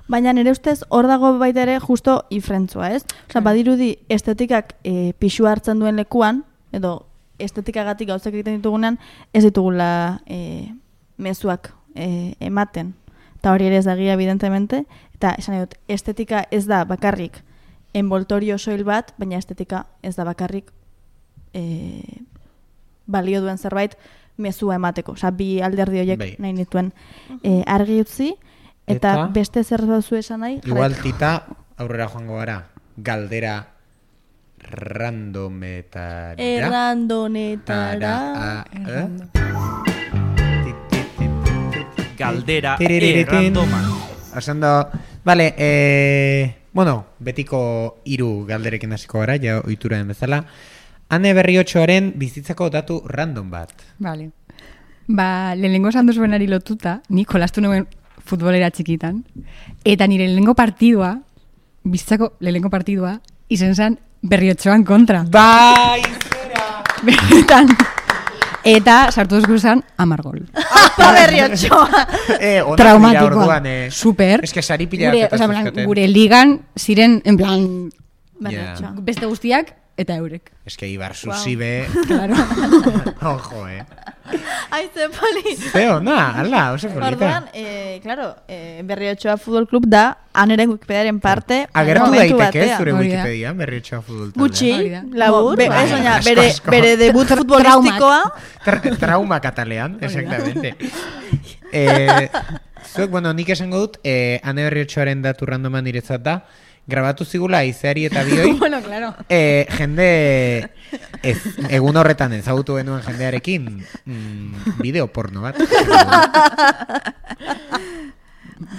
Baina nire ustez hor dago baita ere justo ifrentzua, ez? Osa, badirudi estetikak e, pixu hartzen duen lekuan, edo estetikagatik gauzak egiten ditugunean, ez ditugula e, mezuak e, ematen. Eta hori ere ez dagia, evidentemente. Eta esan nahi dut, estetika ez da bakarrik envoltorio soil bat, baina estetika ez da bakarrik e, balio duen zerbait mezua emateko. Osa, bi alderdi horiek Bai. nahi nituen e, argi utzi, eta, Eta? beste zer duzu esan nahi? Igual jarraitu. tita aurrera joango gara. Galdera randometara. Errandonetara. Tara, eh? Galdera Tiririritin. errandoma. Osando, vale, eh, bueno, betiko hiru galderekin hasiko gara, ja ohitura den bezala. Ane Berriotxoaren bizitzako datu random bat. Vale. Ba, lehenengo esan duzuenari lotuta, nik jolastu nuen futbolera txikitan, eta nire lehenengo partidua, bizitzako lehenengo partidua, izen zen Berriotxoan kontra. Bai, zera! Benetan. Eta sartu duzku zen amar gol. Apa Berriotxoa. Eh, onak dira Traumatikoa. orduan, eh. Super. Es que sari pila Gure, bat osea, eta en plan, zuzkaten. gure ligan ziren, en plan, Berriotxoa. beste guztiak, eta eurek. Es que Ibar Susibe... Claro. Ojo, eh. Ai, ze poli. Zeo, na, ala, oso polita. Orduan, eh, claro, eh, Berriotxoa Futbol Club da aneren Wikipediaren parte. Agertu momentu daiteke batean. zure Hori da. Wikipedian, Berriotxoa futbol taldea. Gutxi, Hori da. labur. Be, Bai, ez baina, asko, bere, asko. bere debut futbolistikoa. Tra trauma katalean, exactamente. eh, zuek, bueno, nik esango dut, eh, Ane Berriotxoaren datu randoman niretzat da, grabatu zigula Izeari eta bioi, Bueno, claro. eh, jende, ez, egun horretan ezagutu genuen jendearekin, mm, bideo porno bat.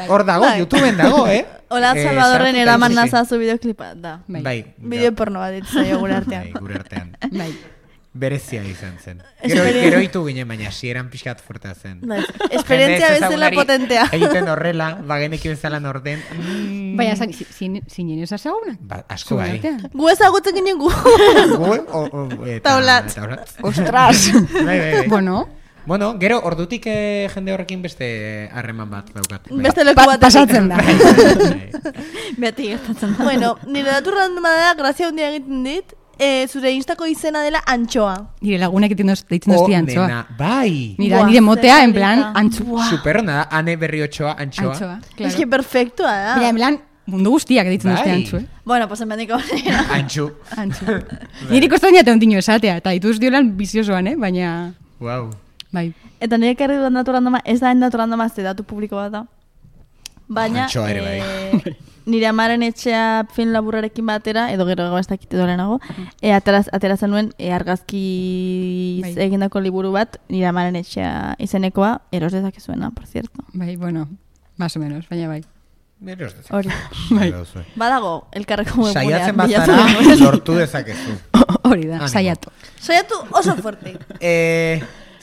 Hor dago, Bai. YouTubeen dago, eh? Hola, Eh, Salvadorren sartuta eraman ikusi. nazazu bideoklipa, da. Bai. Bai. Bideo porno bat ditzaio gure Bai, artean. gure artean. Bai. Berezia izan zen. Gero, Esperien- gero itu ginen, baina sieran pixkat fuertea zen. Bai. Esperientzia Jende bezala ezagunari potentea. Egiten horrela, bagenekin bezala norden. Mm, Baina, zan, zinen ez azagunak? Ba, asko bai. Gu ezagutzen ginen gu. Gu, o, o, eta, Taulat. taulat. Ostras! Bai, bai, bai. Bueno, Bueno, gero ordutik eh, jende horrekin beste harreman bat daukat. Bai. Beste leku pa bat. pasatzen da. Bai, bai. Beti gertatzen da. Bueno, nire datu randoma da, grazia handia egiten dit, eh, zure instako izena dela Antxoa. Nire lagunak egiten doz, deitzen Oh, dozti antxoa. nena, bai. Mira, Buah, nire motea, zer en plan, polita. antxoa. Superona da, Ane Berriotxoa, antxoa. Antxoa, Es claro. que perfektua da. Mira, en plan, mundu guztiak deitzen dozti Bai. antxu, eh? Bueno, pues hemendik aurrera. Antxu. Antxu. Niri kostan jate ondino esatea, eta dituz diolan biziosoan, eh? Baina, Wow. bai. Eta nire karri dudan datu randoma, ez da datu randoma, ez datu publiko bat da. Baina, Antxoa ere bai. eh, nire amaren etxea film laburrarekin batera, edo gero ez dakit edo lehenago, e, ateraz, ateratzen nuen e, argazki Bai. egindako liburu bat, nire amaren etxea izenekoa, eros dezakezuena, por cierto. Bai, bueno, más o menos, baina bai. Eros dezake. Hori. Bai. Dauzue. Badago, elkarreko webgunean. Saiatzen bilatzen bazara, dugu. lortu dezakezu. Hori da, Animo. saiatu. Saiatu oso fuerte. Eh,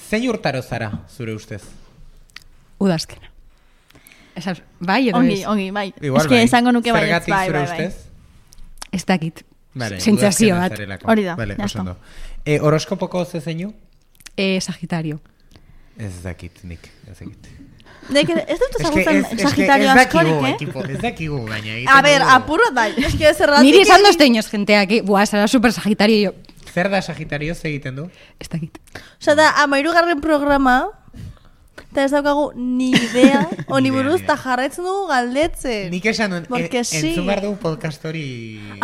zein urtaro zara, zure ustez? Udazkena. Esas, bai edo Ongi, ez? ongi, bai. Igual Ez que bai. esango nuke bai, Zergatik bai, zure bai, bai. ustez? Ez dakit. Vale, Sentsazio udazkena bat. zarelako. Hori da, Vale, ya oso está. ondo. Eh, horoskopoko ze zeinu? Eh, Sagitario. Ez dakit nik, ez dakit. Nek, ez dut Es que ezagutzen ez- es que Sagitario ez dakigu, askorik, eh? ekipo, ez dakigu, baina egiten A ber, dugu. apurot bai. Ez que zerratik... Niri esan dozte inoz jenteak, eh? Buah, zara super Sagitario, y yo, Zer da Sagitarioz egiten du? Ez dakit. Osa da, amairugarren programa, eta ez daukagu ni idea, honi buruz, eta jarraitzen dugu galdetzen. Nik esan nuen, Porque e, sí. entzun behar dugu podcast hori...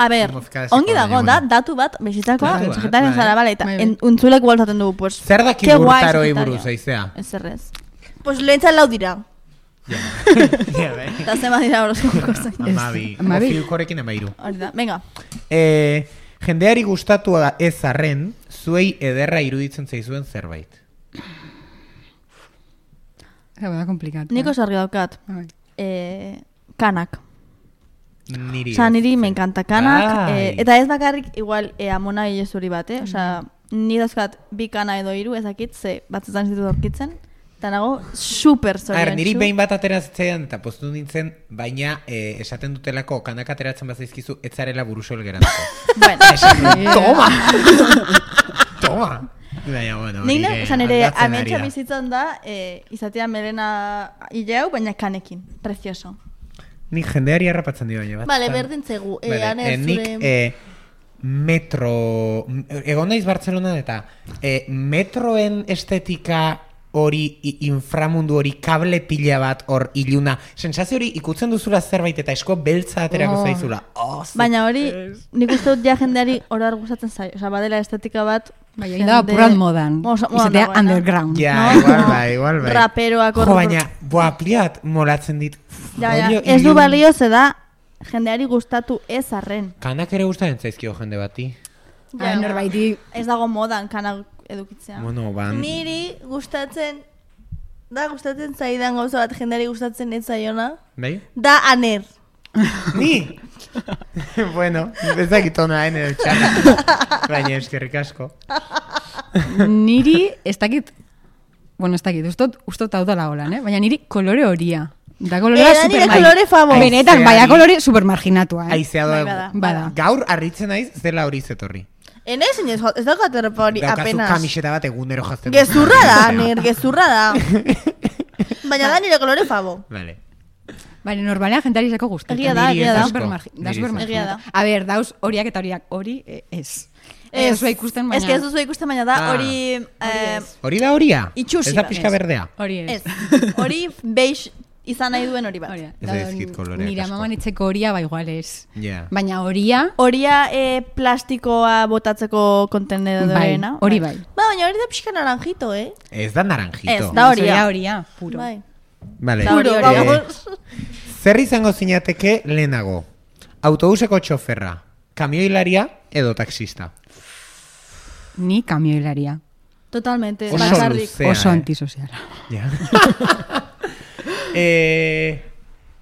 A ber, mozkadazeko, ongi dago, baina, da, bueno. datu bat, bezitakoa, Datu bat, sagitarioz bai. zara, bale, eta Bai, bai. en- untzulek gualtaten dugu, pues, Zer daki ke guai urtaroi Sagitario. buruz, aizea? Ez errez. Pues lehentzat lau dira, Ja, bai. eta zema dira horoskopoko zain. Amabi. Amabi. Ofiukorekin amairu. Hori da, venga. Eh, jendeari gustatu ez arren, zuei ederra iruditzen zaizuen zerbait. Zau, da komplikat. Nik oso argi daukat. Bai. Eh, kanak. Niri. Osa, ez. niri me encanta kanak. Bai. Eh, eta ez bakarrik, igual, eh, amona zuri bat, eh? Osa, ni dauzkat bi kana edo hiru ezakit, ze batzutan zitu dorkitzen. Eta nago, super A zorion. ber, niri behin bat ateratzen eta poztu nintzen, baina eh, esaten dutelako kanak ateratzen bazaizkizu, ez zarela burusol geratuko. Bueno, Toma! Toma! Baina, bueno, nik nire ne, osa, nire aldatzen ari ametsa da. bizitzan da, eh, izatea melena hileu, baina kanekin. Precioso. Nik jendeari harrapatzen dio baina bat. Vale, berdin zegu. Eh, Vale, Aner, eh, nik zure... eh, metro... Egon naiz Bartzelonan eta eh, metroen estetika hori i- inframundu hori kable pila bat hor iluna. Sensazio hori ikutzen duzula zerbait eta esko beltza aterako Oh. zaizula. Oh, ze- Baina hori, nik uste dut ja jendeari orar gustatzen zaio. Osa, badela estetika bat... Bai, egin da apurrat modan. Oso, modan Izatea dagoena. underground. Ja, No? igual bai, igual bai. Raperoak hor- Jo, baina, boa, pliat molatzen dit. Ja, ja, Rollo ez du ilun- balio ze da jendeari gustatu ez arren. Kanak ere gustatzen zaizkio jende bati. Ja, norbaiti Ez dago modan kanak edukitzea. Bueno, ban... Niri gustatzen, da gustatzen zaidan gauza bat jendeari gustatzen ez zaiona, Bai? da Aner. Ni? Bueno, ez dakit ona hain edo txarra. Baina eskerrik asko. niri ez dakit, bueno, ez dakit, ustot, ustot hau dala holan, eh? Baina niri kolore horia. Da kolorea Eh, da nire super kolore favor. Benetan, Aizeari- baina kolore supermarginatua, eh? Aizea Bai, doa. bada. Bada. Gaur arritzen naiz zela hori zetorri. Enez, ez, ez daukat errepa hori Daukazu apenas. kamiseta bat egunero jazten. Gezurra da, Aner, gezurra da. Baina da nire kolore favo. Vale. Baina normalean jentari zeko gustatzen. Egia da, Niri egia ez da. asko. Supermargi- Da Niri ez supermarginata. asko. A ber, dauz horiak eta horiak hori, eh, ez. Ez, Ez du ikusten, baina... Ez que ez duzu ikusten, baina da Ah. hori... eh, Hori da horia? Itxusi Ez da bat. pixka Ez. berdea? Hori ez. Ez, hori beige izan nahi duen hori bat. Hori da. Ez Da, zaizkit koloreak Nire asko. amaman itzeko horia, ba igual ez. Ja. Baina horia, Horia eh, plastikoa botatzeko kontenedorena. Bai, hori bai. Ba, baina hori da pixka naranjito, eh? Ez da naranjito. Ez, da horia. Horia, horia, puro. Bai. Vale. Puro, Eh, vamos. Zer izango zinateke lehenago? Autobuseko txoferra, kamioilaria edo taxista? Ni kamioilaria. Totalmente, Oso bakarrik. luzea, Oso eh? antisoziala. Ja. eh,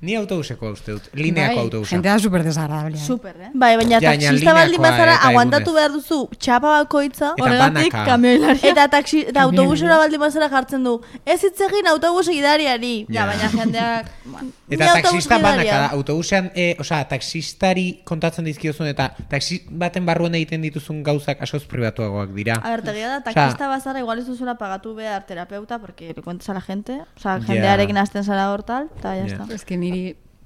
ni autobuseko uste dut. Lineako Bai, autobusa. Gente da super desagradable. Super, eh? Bai, baina Ja, baina taxista baldin lineakoa bazara eta aguantatu egunez. behar duzu txapa bakoitza, Eta horregatik banaka. kamioilaria. Eta, taxi, eta Kamioilaria. autobusera baldin bazara jartzen du, ez hitz egin autobus gidariari. Ja, Ja. baina jendeak... ba, Eta ni autobus taxista banaka gidaria. da, autobusean, e, osea, taxistari kontatzen dizkiozun eta taxi baten barruan egiten dituzun gauzak askoz pribatuagoak dira. A ver, tegia da, Osea- taxista bazara igual ez duzula pagatu behar terapeuta, porque le cuentas a la gente, o sea, Ja. jendearekin hasten zara hor tal, eta ya Ja. está. Ez que niri...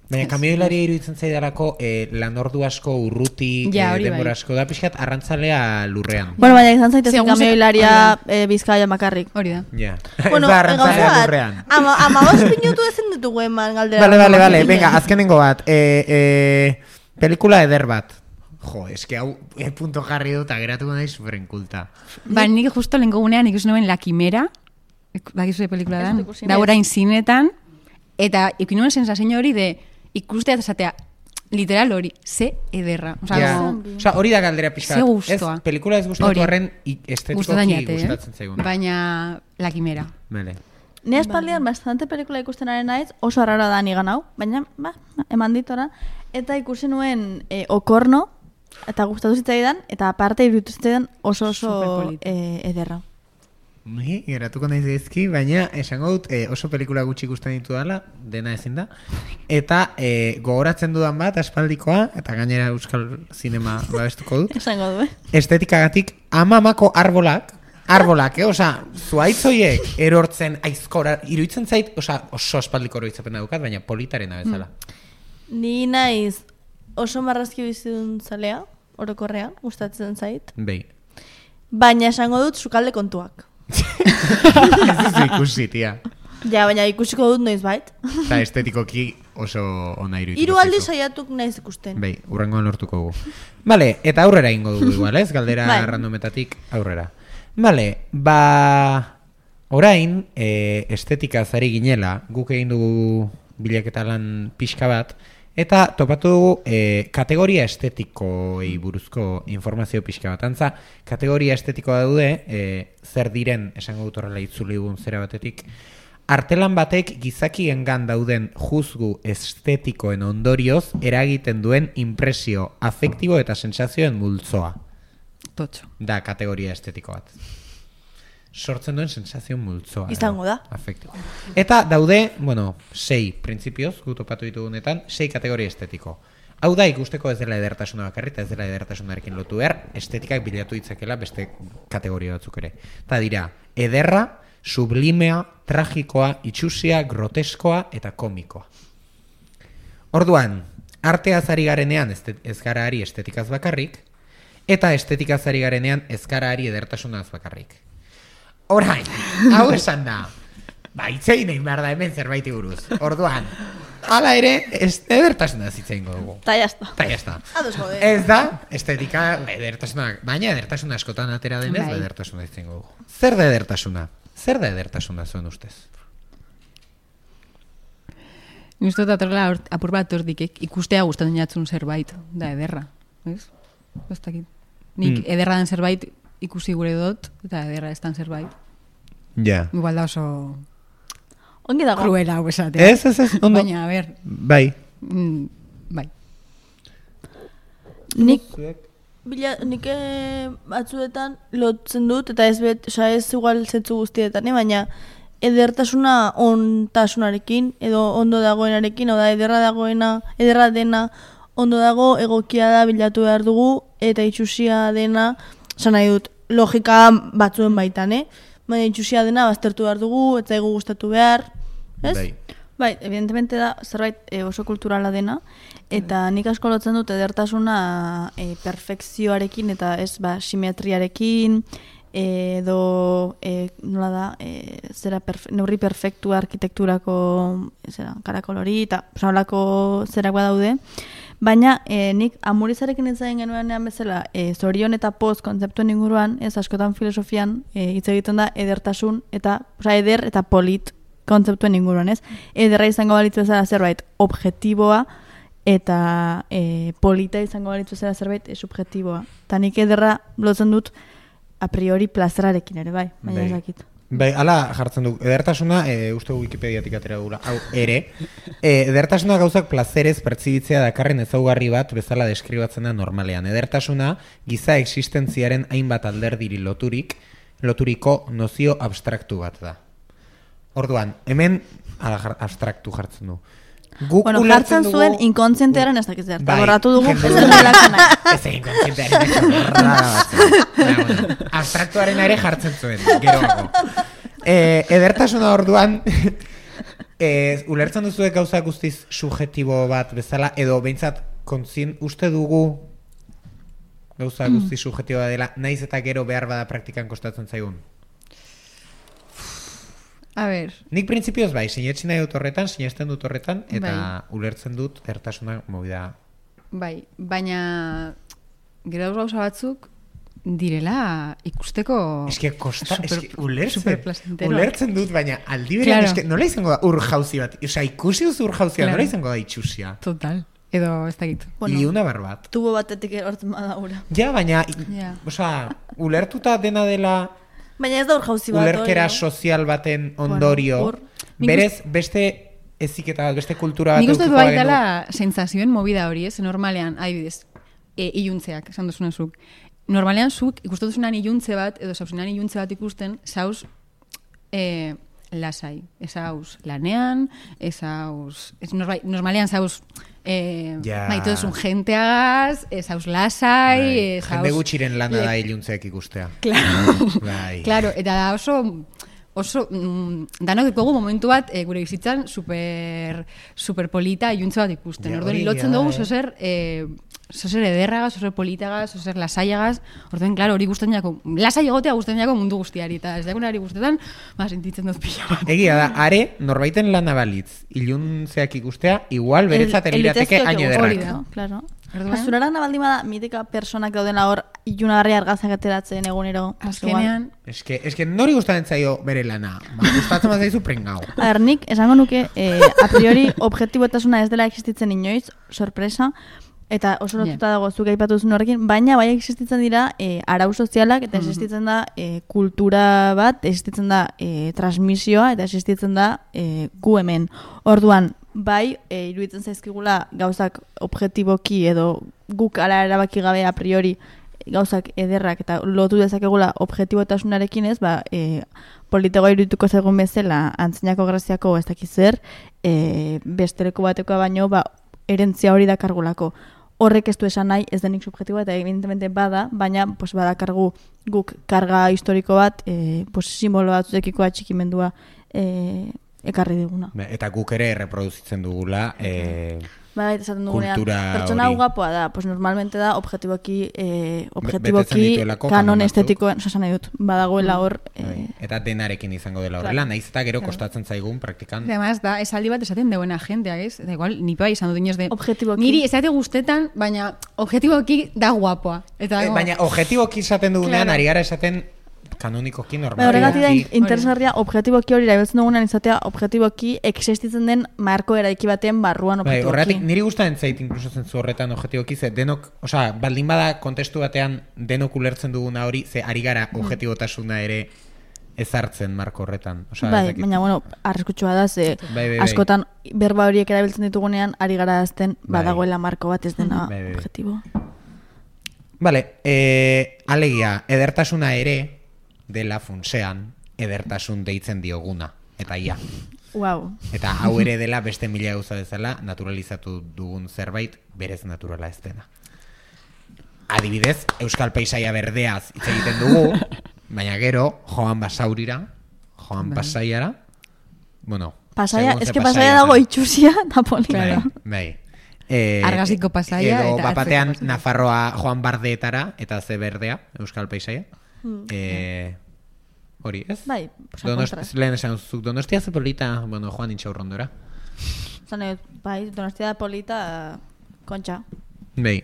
Baina kamioilaria iruditzen zaidalako e, lanordu asko, urruti, Ja, e, hori denbora bai. asko da, pixkat arrantzalea lurrean. Bueno, baina izan zaitezen Segun ze- kamioilaria eh, Bizkaia makarrik. Hori da. Ja. Bueno, ez da eh, arrantzalea gauza bat, lurrean. ama, ama bost minutu ezen ditugu eman galdera. Vale, vale, vale, Martinen. venga, azkenengo bat. E, e, pelikula eder bat. Jo, eske hau e, punto jarri dut, ageratuko nahi superenkulta. Ba, nik justo lehenko gunean ikusi nuen La Quimera, bakizu pelikula Ez dan, dut ikusi, da ez. orain zinetan, eta ikusi nuen sensazio hori de ikustea eta esatea, literal hori, ze ederra. Osa, Ja. como, Osea, hori da galdera pixkat. Ze gustoa. Ez, pelikula ez gustatu Hori. arren i- gustatzen estetikoki jate, gustatzen eh? zaigun. Baina La Quimera. Vale. Ni espaldian bastante pelikula ikusten ari naiz, oso arraro da nigan hau, baina, ba, eman ditora. Eta ikusi nuen e, Okorno, eta gustatu zitzaidan, eta aparte iruditu zitzaidan oso oso Superpolita. e, ederra. Ni, geratuko naiz ezki, baina esango dut e, oso pelikula gutxi ikusten ditu dela, dena ezin da. Eta e, gogoratzen dudan bat, aspaldikoa, eta gainera euskal zinema babestuko dut. Esango du, eh? Estetikagatik, amamako arbolak, arbolak, eh? Osa, zuaitzoiek erortzen aizkora, iruditzen zait, osa, oso aspaldiko oroitzapena daukat, baina politarena bezala. Ni naiz oso marrazki bizidun zalea, orokorrean, gustatzen zait. Bei. baina esango dut sukalde kontuak. Ez duzu ikusi, tia. Ja, baina ikusiko dut noiz bait. Eta estetikoki oso ona iruditu. Hiru aldi saiatuk naiz ikusten. Bai, urrengoan lortuko gu. Vale, eta aurrera ingo dugu igual, ez? Galdera Bai. randometatik aurrera. Vale, ba... Orain, e, estetika zari ginela, guk egin dugu bilaketa lan pixka bat, eta topatu dugu e, kategoria estetikoei buruzko informazio pixka bat. Antza, kategoria estetikoa daude, e, zer diren, esango dut horrela itzuli dugun zera batetik, artelan batek gizakiengan dauden juzgu estetikoen ondorioz eragiten duen impresio afektibo eta sentsazioen multzoa. Totxo. Da kategoria estetiko bat. Sortzen duen sensazio multzoa. Izango da. Afektibo. Eta daude, bueno, sei printzipioz, gu topatu ditugunetan, sei kategoria estetiko. Hau da ikusteko ez dela edertasuna bakarri, eta ez dela edertasunarekin lotu behar, estetikak bilatu ditzakela beste kategoria batzuk ere. Eta dira, ederra, sublimea, tragikoa, itxusia, groteskoa eta komikoa. Orduan, arteaz ari garenean ez gara ari estetikaz bakarrik, eta estetikaz ari garenean ez gara ari edertasunaz bakarrik. Orain, hau esan da, ba, itzein egin behar da hemen zerbaiti buruz. Orduan, hala ere, ez edertasuna zitzein dugu. Ta jazta. Ta jazta. Ados gode. Ez da, estetika, edertasuna, baina edertasuna askotan atera denez, Bai. edertasuna zitzein dugu. Zer da edertasuna? Zer da edertasuna zuen ustez? Nuztot atorla apur bat hortik ikustea gustatzen jatzun zerbait, da ederra, ez? Ez dakit. Nik Mm. ederra den zerbait ikusi gure dut, eta ederra ez dan zerbait. Ja. Igual da oso Ongi dago. kruela hau esatea. Ez, ez, ez, ondo. Baina, a ber, Bai. mm, bai. Nik bila, nik eh, batzuetan lotzen dut, eta ez bet, oza, ez igual zetzu guztietan, eh? Baina edertasuna ontasunarekin, edo ondo dagoenarekin, oda ederra dagoena, ederra dena, ondo dago, egokia da bilatu behar dugu, eta itxusia dena, esan nahi dut, logika batzuen baitan, eh? Baina itxusia dena baztertu behar dugu, eta egu gustatu behar, ez? Bai. Bai, evidentemente da zerbait e, oso kulturala dena, eta nik asko lotzen dut edertasuna e, perfekzioarekin eta ez ba simetriarekin, edo e, nola da, e, zera perfe, neurri perfektua arkitekturako zera, karakolori eta horrelako zerak badaude. Baina e, nik amurizarekin ez zain genuenean bezala e, zorion eta poz kontzeptuen inguruan, ez askotan filosofian e, hitz egiten da edertasun eta oza, eder eta polit kontzeptuen inguruan, ez? Ederra izango balitzu bezala zerbait objektiboa eta e, polita izango balitzu bezala zerbait e, subjektiboa. Eta nik ederra lotzen dut a priori plazerarekin ere, bai, baina Bai. ez dakit. Bai, ala jartzen du. Edertasuna, e, uste Wikipediatik atera dugula, hau ere. E, edertasuna gauzak plazerez pertsibitzea dakarren ezaugarri bat bezala deskribatzen da normalean. Edertasuna giza existentziaren hainbat alderdiri loturik, loturiko nozio abstraktu bat da. Orduan, hemen ala, jar, abstraktu jartzen du. Guk Bueno, ulertzen jartzen dugu- zuen inkontzientearen ez dakiz zer. Bai, Borratu dugu, jende- ez dela lanak. Ez egin kontzientearen ez horra batzen. Baina, bueno, abstraktuaren ere jartzen zuen, geroago. E, edertasuna orduan, e, ulertzen duzu gauza guztiz subjektibo bat bezala, edo behintzat kontzien uste dugu gauza guztiz subjektiboa dela, naiz eta gero behar bada praktikan kostatzen zaigun. A ber, Nik printzipioz bai, sinetsi nahi dut horretan, sinesten dut horretan, eta Bai. ulertzen dut edertasuna movida. bai, baina gero gauza batzuk direla ikusteko Eske kosta, super- eske ulertzen, superplacenteroak. ulertzen dut, baina aldi berean, Claro. eske nola izango da ur jauzi bat, osea ikusi duzu ur jauzia, Claro. nola izango da itxusia. Total. Edo ez dakit. Bueno. Iuna bar bat. Tubo batetik erortzen bada ura. Ja, baina, Ja. osea, ulertuta dena dela Baina ez da hor jauzi bat. ulerkera hori, no? sozial baten ondorio, hor- Nik berez, beste eziketa bat, beste kultura bat Nik uste du edukiko bai bagenu. dela sentsazioen movida hori, ez? Normalean, adibidez, e, iluntzeak, esan duzuna zuk. Normalean zuk ikusten duzunan iluntze bat, edo zauzunan iluntze bat ikusten, zauz e, lasai. Ez hauz lanean, ez hauz... Ez norma, normalean zauz e, Ja. maite duzun jenteagaz, ez hauz lasai, Bai, ez jende hauz... gutxiren lana da iluntzeak ikustea. Claro. Bai. Claro, eta da oso oso mm, danok ditugu momentu bat e, gure bizitzan super super polita iluntze bat ikusten. Ja, Orduan hori lotzen egia da, dugu eh. zozer e, zozer ederragaz, zozer politagaz, zozer lasaiagaz, orduen, klaro, hori gusten jako, lasai egotea gusten jako mundu guztiari, eta ez dagoenari guztetan, ba, sentitzen dut pila bat. Egia da, are, norbaiten lana balitz, iluntzeak ikustea, igual beretzat El- elirateke elitezkeok hain egon, ederrak. no? Claro. Orduan? Zurara nabaldin bada, mitika personak daudena hor, ilunagarri argazak ateratzen egunero. pues igual. Azkenean, Eske, eske nori gustatzen zaio bere lana. Ba, gustatzen bazaizu prengau. A ber, nik esango nuke, eh, a priori, objektibotasuna ez dela existitzen inoiz, sorpresa, eta oso lotuta dago zuk aipatu duzun horrekin, baina bai existitzen dira eh, arau sozialak, eta existitzen da eh, kultura bat, existitzen da eh, transmisioa, eta existitzen da eh, gu hemen. Orduan, bai, e, iruditzen zaizkigula gauzak objektiboki edo guk ala erabaki gabe a priori gauzak ederrak eta lotu dezakegula objektibotasunarekin ez, ba, e, politegoa irudituko zaigun bezala antzinako graziako ez dakiz zer, e, bestereko batekoa baino, ba, erentzia hori dakargulako. Horrek ez du esan nahi, ez denik subjektiboa eta evidentemente bada, baina pues, badakargu guk karga historiko bat, e, pues, simbolo batzukiko atxikimendua e, ekarri diguna. Eta guk ere erreproduzitzen dugula eh, Bai, esaten dugunean, kultura pertsona hori. guapoa da, pues normalmente da objektiboki, eh, betetzen objektiboki dituelako kanon kanon batzuk. estetikoen, osa nahi dut, badagoela hor, bai, eh, eta denarekin izango dela horrela, naiz eta gero kostatzen zaigun praktikan. además, da, esaldi bat esaten deuen jendeak, ez? Da igual, ni bai izan dut inoz de... Objektiboki. Niri esate guztetan, baina objektiboki da guapoa. Eta, Eh, dago- baina objektiboki izaten dugunean, Claro. ari gara esaten kanonikoki Bai, normal. horregatik da in- interesgarria objektiboki hori erabiltzen dugunean izatea objektiboki existitzen den marko eraiki baten barruan Bai, objektiboki. horregatik niri gustatzen zait inkluso zentzu horretan objektiboki, ze denok, osea, baldin bada kontestu batean denok ulertzen duguna hori, ze ari gara objektibotasuna ere ezartzen marko horretan. Osea, ez Bai, dakit. baina bueno, arriskutsua da, ze Bai, bai, bai. askotan berba horiek erabiltzen ditugunean ari gara azten Bai. badagoela marko bat ez dena Bai, bai, bai. objektibo. Vale, eh, alegia, edertasuna ere dela funtsean edertasun deitzen dioguna. Eta ia. Wow. Eta hau ere dela beste mila gauza bezala naturalizatu dugun zerbait berez naturala ez dena. Adibidez, euskal paisaia berdeaz hitz egiten dugu, baina gero joan Basaurira, joan Pasaiara, bueno, Pasaia, segun ze eske pasaia pasaia dago zen. itxusia eta polita. Bai, bai. Eh, Argaziko pasaia edo eta bapatean atzeko pasaia. Nafarroa joan Bardeetara eta ze berdea, euskal paisaia. Hmm. Eh, hori, ez? Bai, pues a Donost, kontra. lehen esan zuk, Donostia ze polita, bueno, joan intxaurrondora. Zan, nahi dut, bai, Donostia da polita, kontxa. Bai,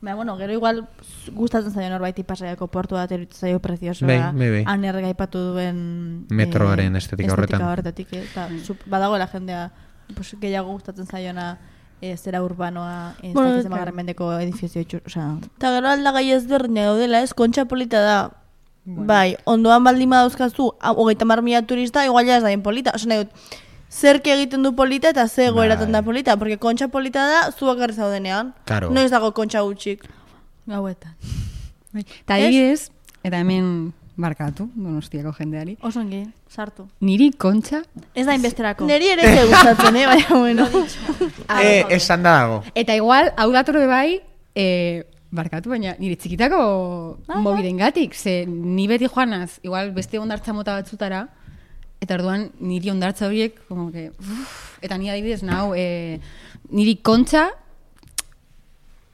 Baina, bueno, gero igual gustatzen zaio norbaiti pasaiako portu bat eruditzen zaio preziosoa. Bai, bai, bai. Han ergaipatu duen... Metroaren estetika horretan. horretatik, eh, eta sup- badagoela jendea pues, gehiago gustatzen zaiona eh, zera urbanoa, ez Bueno, dakiz claro. emagarren mendeko edifizio itxur, osea... Eta gero aldagai ezberdina gaudela, ez, kontxa polita da. Bai, ondoan baldin badauzkazu, hau, hogeita hamar mila turista, igual ja ez daien polita. Osea, nahi dut, zerk egiten du polita eta ze egoeratzen da Bai. polita, porque kontxa polita da zuak garri zaudenean. Claro. Noiz dago kontxa gutxik. Gauetan. Bai. Eta adibidez, eta hemen barkatu, Donostiako jendeari, Oso ongi, sartu. niri kontxa, Ez da inbesterako. Neri ere ez gustatzen, eh, baina bueno. eh, esan da dago. eta igual, hau datorre bai, e, barkatu, baina nire txikitako mobidengatik, ze ni beti joanaz, igual beste ondartza mota batzutara, eta orduan niri ondartza horiek, como que, uf, eta ni adibidez nau, e, niri kontxa,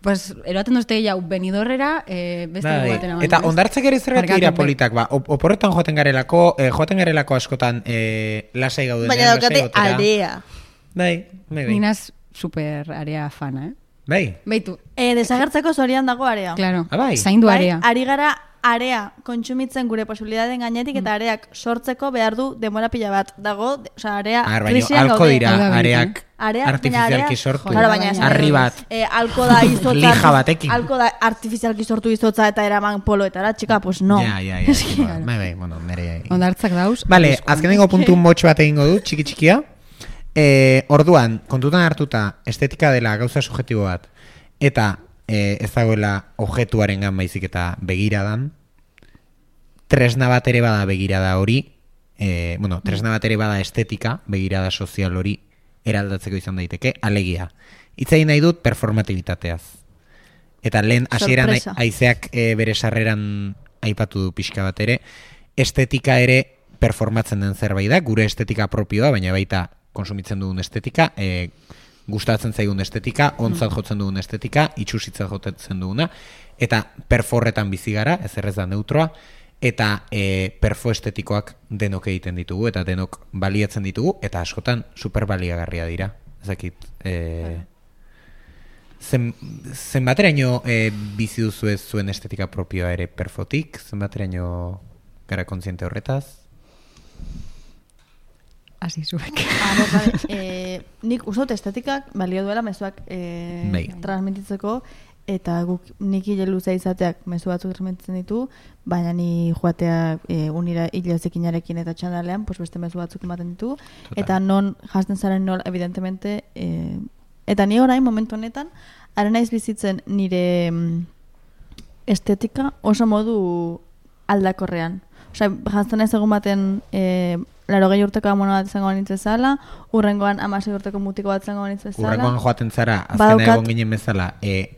pues, eroaten dozte jau Benidorrera, e, beste Bai. bai. baten amanez. Eta ondartzak ere zergatik Barkatu, dira bai. politak, ba, op- oporretan joaten garelako, eh, joaten garelako askotan eh, lasai gaudenean, Baina lasai daukate gotera. aldea. Bai, bai, bai. Ninaz super area fana, eh? Bai, Beitu, Eh, desagertzeko zorian dago area. claro, Ah, bai. zaindu Bai, area. ari gara area kontsumitzen gure posibilitateen gainetik eta areak sortzeko behar du denbora pila bat dago, de- osea, area Ar, baina krisian alko gaude. dira Hau da areak Area, baina artifizialki area- sortu. Claro, baina esan Harri dut, bat. Eh, alko da izotza. Lija batekin. Alko da artifizialki sortu izotza eta eraman poloetara, txika, pues no. Ja, ja, ja. ja. Bai, bai, bueno, nere. Ondartzak dauz. Vale, arriskuan. azkenengo puntu motx bat egingo du, txiki txikia. Eh, orduan, kontutan hartuta estetika dela gauza subjektibo bat eta eh, ez dagoela objektuarengan baizik eta begiradan. Tresna bat ere bada begirada hori, eh, bueno, tresna bat ere bada estetika, begirada sozial hori eraldatzeko izan daiteke, alegia. Hitz egin nahi dut performatibitateaz. Eta lehen hasieran Sorpresa. haizeak e, bere sarreran aipatu du pixka bat ere, estetika ere performatzen den zerbait da, gure estetika propioa, baina baita konsumitzen dugun estetika, e, gustatzen zaigun estetika, ontzat jotzen dugun estetika, itxusitzat jotzen duguna, eta perforretan bizi gara, ez errez da neutroa, eta e, perfo estetikoak denok egiten ditugu, eta denok baliatzen ditugu, eta askotan superbaliagarria dira. Ezakit, e, zen, zenbateraino e, bizi duzu ez zuen estetika propioa ere perfotik, zenbateraino gara kontziente horretaz? Hasi zuek. Ah, e, nik uste estetikak balio duela mezuak e, Bai. transmititzeko, eta guk nik hile luzea izateak mezu batzuk transmititzen ditu, baina ni joatea e, unira hile zekinarekin eta txandalean, pues beste mezu batzuk ematen ditu, Total. eta non jazten zaren nol, evidentemente, e, eta ni orain momentu honetan, ara naiz bizitzen nire mm, estetika oso modu aldakorrean. Osea, jazten ez egun baten e, laro gehi urteko amono bat izango banitz bezala, urrengoan amasei urteko mutiko bat izango banitz bezala. Urrengoan joaten zara, azkena Badaukat- egon ginen bezala, e,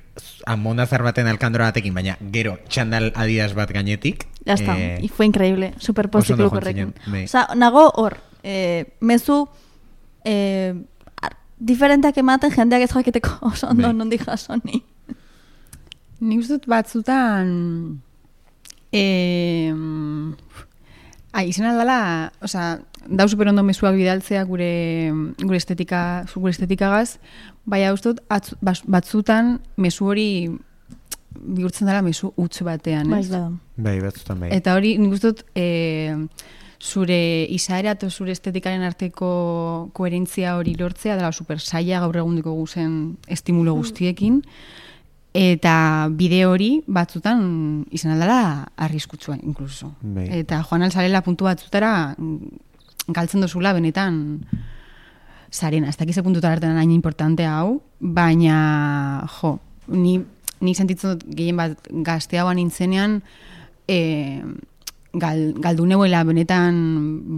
amonazar baten alkandora batekin, baina gero txandal adidas bat gainetik. Ya está, eh, y fue increíble, super oso ondo pozitif joan horrekin. zinen, bai. Osa, nago hor, eh, mezu eh, ar- diferenteak ematen jendeak ez jakiteko oso ondo Bai. nondik jaso ni. Nik uste dut batzutan eh, ai, izan aldala, osea, dau super ondo mezuak bidaltzea gure gure estetika, gure estetikagaz, baina uste dut atzu- bas- batzutan mezu hori bihurtzen dela mezu huts batean, Bai, ez? bada. Bai, batzutan bai. Eta hori, nik uste dut, e, zure izaera eta zure estetikaren arteko koherentzia hori lortzea, dela super saia gaur egundiko guzen estimulo guztiekin, eta bide hori batzutan izan aldala arriskutsua, inkluso. Bai. Eta joan alzarela puntu batzutara mm, galtzen dozula benetan zarena. Ez dakize puntutara artean hain importantea hau, baina, jo, ni, ni sentitzen dut gehien bat gazteagoan nintzenean, e, gal, galdu neuela benetan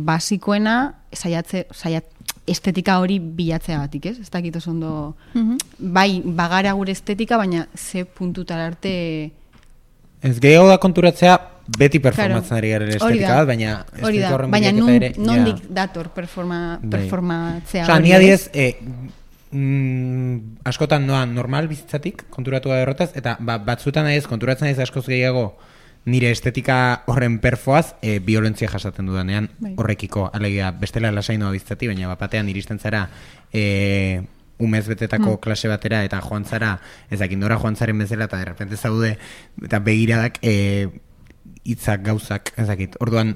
basikoena, saiatze, saiat, estetika hori bilatzeagatik, ez? Ez dakit oso ondo, bai, bagara gure estetika, baina ze puntutara arte... Ez gehiago da konturatzea beti performatzen ari garen hori estetika da. bat, baina Hori estetika da, horren baina bilaketa nun, ere... nondik ja. dator performa, Bai. performatzea Osa, hori, ni ez? adiez, e, mm, askotan noa normal bizitzatik konturatu da horretaz, eta ba, batzuetan adiez konturatzen adiez askoz gehiago nire estetika horren perfoaz e, violentzia jasaten dudanean Bai. horrekiko, alegia bestela lasainoa bizitzatik, baina bapatean iristen zara e, umez betetako klase batera eta joan zara, ezakin nora joan zaren bezala eta derrepente zaude eta begiradak e, hitzak gauzak, ezakit, orduan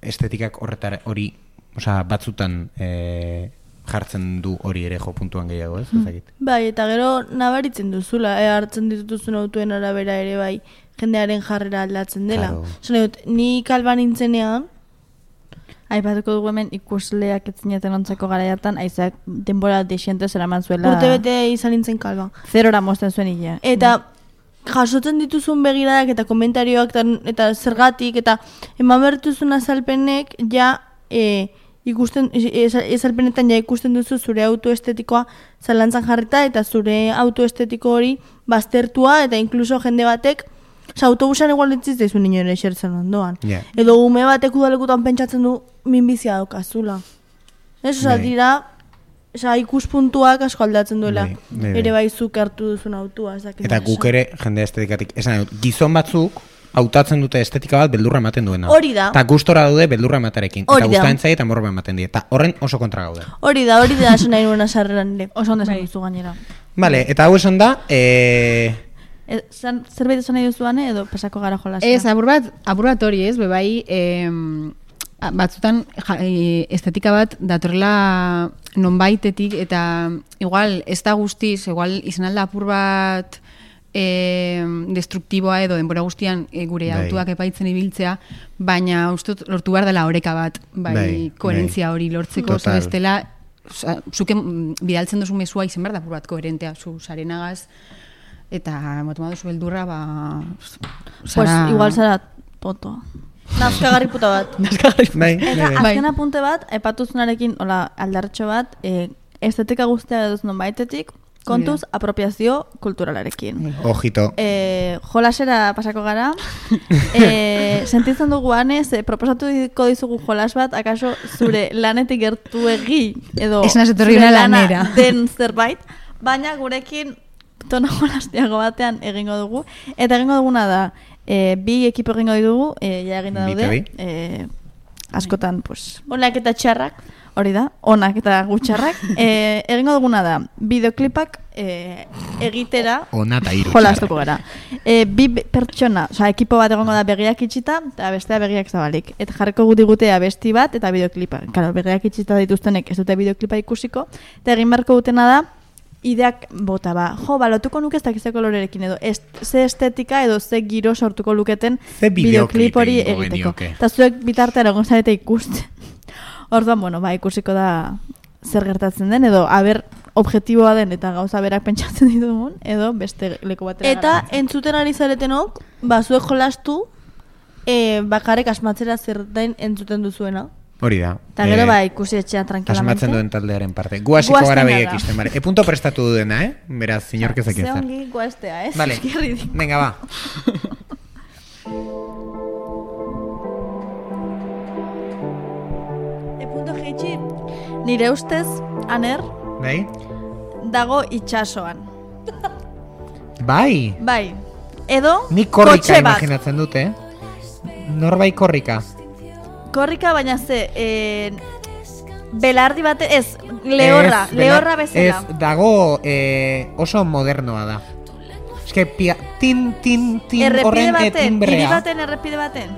estetikak horretara hori, osea, batzutan e, jartzen du hori ere jo puntuan gehiago, ez? Ezakit. Bai, eta gero nabaritzen duzula, e, hartzen dituzun autuen arabera ere bai, jendearen jarrera aldatzen dela. Claro. Zone dut, ni kalban nintzenean, Aipatuko dugu hemen ikusleak etzineten ontzako gara hartan, aizak denbora desiente zeraman zuela... urte bete izan nintzen kalban. Zerora mozten zuen hilea. Eta jasotzen dituzun begiradak eta komentarioak eta, eta zergatik eta eman bertuzun azalpenek ja e, ikusten, azalpenetan ja ikusten duzu zure autoestetikoa zalantzan jarrita eta zure autoestetiko hori baztertua eta inkluso jende batek Osa, autobusan igual entziz daizu ninoen esertzen ondoan. Yeah. Edo ume batek udalekutan pentsatzen du minbizia daukazula. Ez, osa, Bai. dira, osa, ikuspuntuak asko aldatzen duela. Bai, bai, bai. Ere bai zuk hartu duzun autua. Ez dakit Eta nola guk esan. ere jende estetikatik, esan dut, gizon batzuk hautatzen dute estetika bat beldurra ematen duena. Hori da. Eta gustora daude beldurra ematerekin. Hori Eta da. gustatzen zaie eta morba ematen die. Eta horren oso kontra gaude. Hori da, hori da esan nahi nuena sarreran ere. Oso ondo esan Bai. duzu gainera. Vale, eta hau esan da, eh, E, zan, zerbait esan nahi duzuane edo pasako gara jolasera? Ez, apur bat, apur bat hori ez, bebai, em, a- batzutan ja, e, estetika bat datorrela nonbaitetik eta igual ez da guztiz, igual izan alda apur bat e, destruktiboa edo denbora guztian e, gure Bai. autuak epaitzen ibiltzea, baina uste dut lortu behar dela oreka bat, bai, Bai, koherentzia bai. hori lortzeko, Total. ze bestela, oza, zuke mm, bidaltzen duzu mezua izan behar da apur bat koherentea, zu zarenagaz, eta motu duzu beldurra, ba... Pues igual zara toto. Nazkagarri puta bat. bai, bai, Eta bai. azken apunte bat, aipatuzunarekin, hola, aldartxo bat, e, estetika guztia duz non baitetik, Kontuz, apropiazio kulturalarekin. Ojito. E, jolasera pasako gara. E, sentitzen dugu anez, e, proposatuko dizugu jolas bat, akaso zure lanetik gertuegi, edo Ez naiz etorri zure una lana lanera. den zerbait, baina gurekin tono jolastiago batean egingo dugu. Eta egingo duguna da, e, bi ekipo egingo ditugu, e, ja eginda Bi eta daude. bi. E, askotan, pues, Onak eta txarrak. hori da, onak eta gutxarrak. E, egingo duguna da, bideoklipak e, egitera Ona eta hiru jolastuko gara. E, bi be- pertsona, oza, ekipo bat egongo da begiak itxita, eta bestea begiak zabalik. Eta jarriko guti gutea abesti bat eta bideoklipa. Claro, begiak itxita dituztenek ez dute bideoklipa ikusiko, eta egin beharko dutena da, ideak bota ba. Jo, ba, lotuko nuke ez dakize kolorerekin edo, ez, ze estetika edo ze giro sortuko luketen Ze bideoklip bideoklip hori egingo egiteko. genioke. Eta zuek bitartean egon zarete ikusten. Orduan, bueno, ba, ikusiko da zer gertatzen den, edo aber objektiboa den eta gauza berak pentsatzen ditugun, edo beste leku batera Eta garatzen. entzuten ari zaretenok, bazuek jolastu, e, bakarrik asmatzera zer den entzuten duzuena. Hori da. Eta gero Eh, ba ikusi etxean tranquilamente. Asmatzen duen taldearen parte. Gu hasiko Guazten gara gara. behiek isten, bale. E punto prestatu du dena, eh? Beraz, inork ezak Ze ezer. ongi guaztea, ez? Vale, Eski ridikulo. venga, ba. E punto jeitxi, Nire ustez, aner, Bai? dago itxasoan. Bai. Bai, edo Nik korrika kotxe bat. imaginatzen dute, eh? Norbai korrika. Korrika, baina ze, e, belardi bate, ez, lehorra, Ez, lehorra bela- bezala. Ez, dago eh, oso modernoa da. Eske, pia, tin, tin, tin, Errepide horren eh, baten, hiri timbrea. baten errepide baten.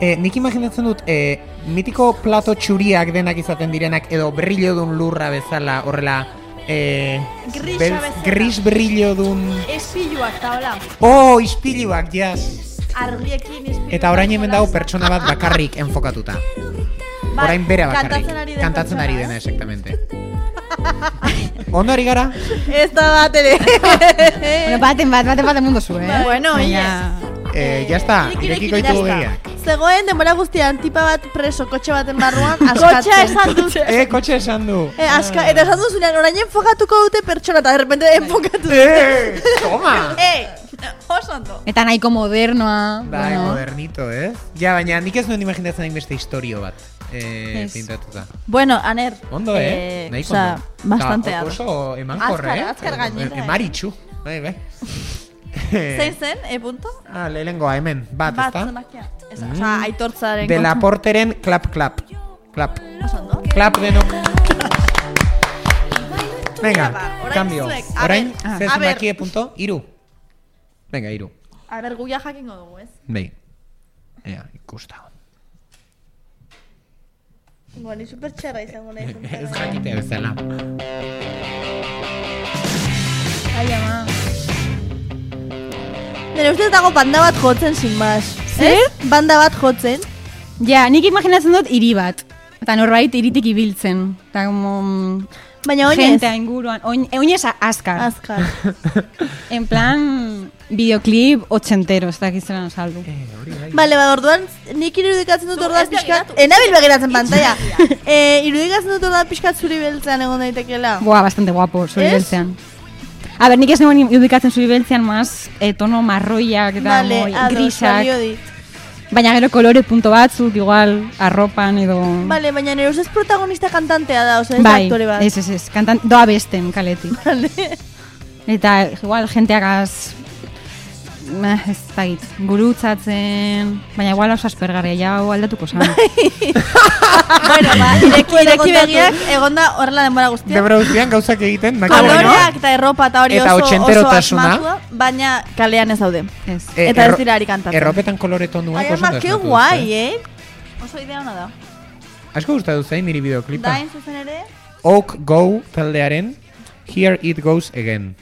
Eh, nik imaginatzen dut, eh, mitiko plato txuriak denak izaten direnak, edo brillo dun lurra bezala, horrela, eh, Grisa beltz- bezala. gris brillo dun... Espiluak, eta hola. Oh, ispiluak, jas! Argiekin espiluak. Eta orain hemen dago pertsona bat bakarrik enfokatuta. Bai, Orain bera bakarrik. kantatzen ari den Kantatzen ari pertsona, dena, exactamente. Ondo ari gara? Ez da bat ere. Bueno, baten bat, baten baten mundu zu, eh? Bueno, Baina- Eh, ya está, Nik irekiko irekin, ditugu ya begiak. está. Zegoen denbora guztian tipa bat preso kotxe baten barruan Kotxea askatzen. esan dut. Eh, kotxe esan du. Eh, aska, eta esan duzunean, orain enfokatuko dute pertsona, eta de repente enfokatu dute. Eh, toma! Eh, oso ondo. Eta nahiko modernoa. Bai, bueno. modernito, eh? Ja, baina nik ez nuen imaginatzen hain beste historio bat. Eh, Ez. pintatuta. Bueno, aner. Ondo, eh? Nahiko Osea, ondo. bastante Eta ado. oso emankorre, Azkar, eh? azkar gainera, eh. Emaritxu. Bai, bai. Zein zen, e punto? Ah, lehenengoa hemen, bat, Bat, ezta? zemakia. Ez, osea, aitortzaren De la kontu. porteren klap, klap. Klap. Oso ondo. Klap denok. Venga, ba, orain cambio. zuek, a Orain, ber, ze a ber. zenbakie punto, iru. Venga, iru. A ber, guia jakingo dugu, ez? Bai. Ea, ikusta. Bueno, ni super txarra izango nahi. Ez jakitea bezala. Ai, ama. Nire ustez dago banda bat jotzen, sin más. Zer? Ez? Banda bat jotzen. Ja, nik imaginatzen dut hiri bat. Eta norbait iritik ibiltzen. Eta como... Baina oinez. Jentea inguruan. Oin, oinez azkar. Azkar. En plan, videoclip ochentero, ez dakizena saldu. Bale, ba, orduan, nik irudikatzen dut Zu, orduan ez pixkat. begiratu. Enabil begiratzen pantalla. eh, irudikatzen dut orduan pixkat zuri beltzean egon daitekela. Boa, bastante guapo, zuri Ez? beltzean. A ber, nik ez neuen irudikatzen zuri beltzean, maz, eh, tono marroiak eta Bale, moi, ados, grisak. balio dit. Baina gero kolore punto batzuk, igual, arropan edo... Bale, baina nire ustez protagonista kantantea da, oza, ez da bai, aktore bat. ez, ez, ez, kantan, doa besten kaletik. Bale. Eta igual jenteagaz eh, ez dakit, gurutzatzen, baina igual oso aspergarria, ja hau aldatuko zan. Bueno, ba, ireki, ireki begiak, egonda horrela denbora guztia. Debra guztian gauzak egiten, makina, Koloreak eta erropa eta hori Eta oso, oso otxenterotasuna. asmatua, baina Kalean ez daude. Ez. Eh, Eta ez erro- dira ari kantatzen. Erropetan kolore tonuak Ai, oso ama, ondo que asmatu guai, duzue. eh? Oso idea ona da. Asko gustatu zain niri bideoklipa. Dain zuzen ere, Oak Go taldearen Here It Goes Again.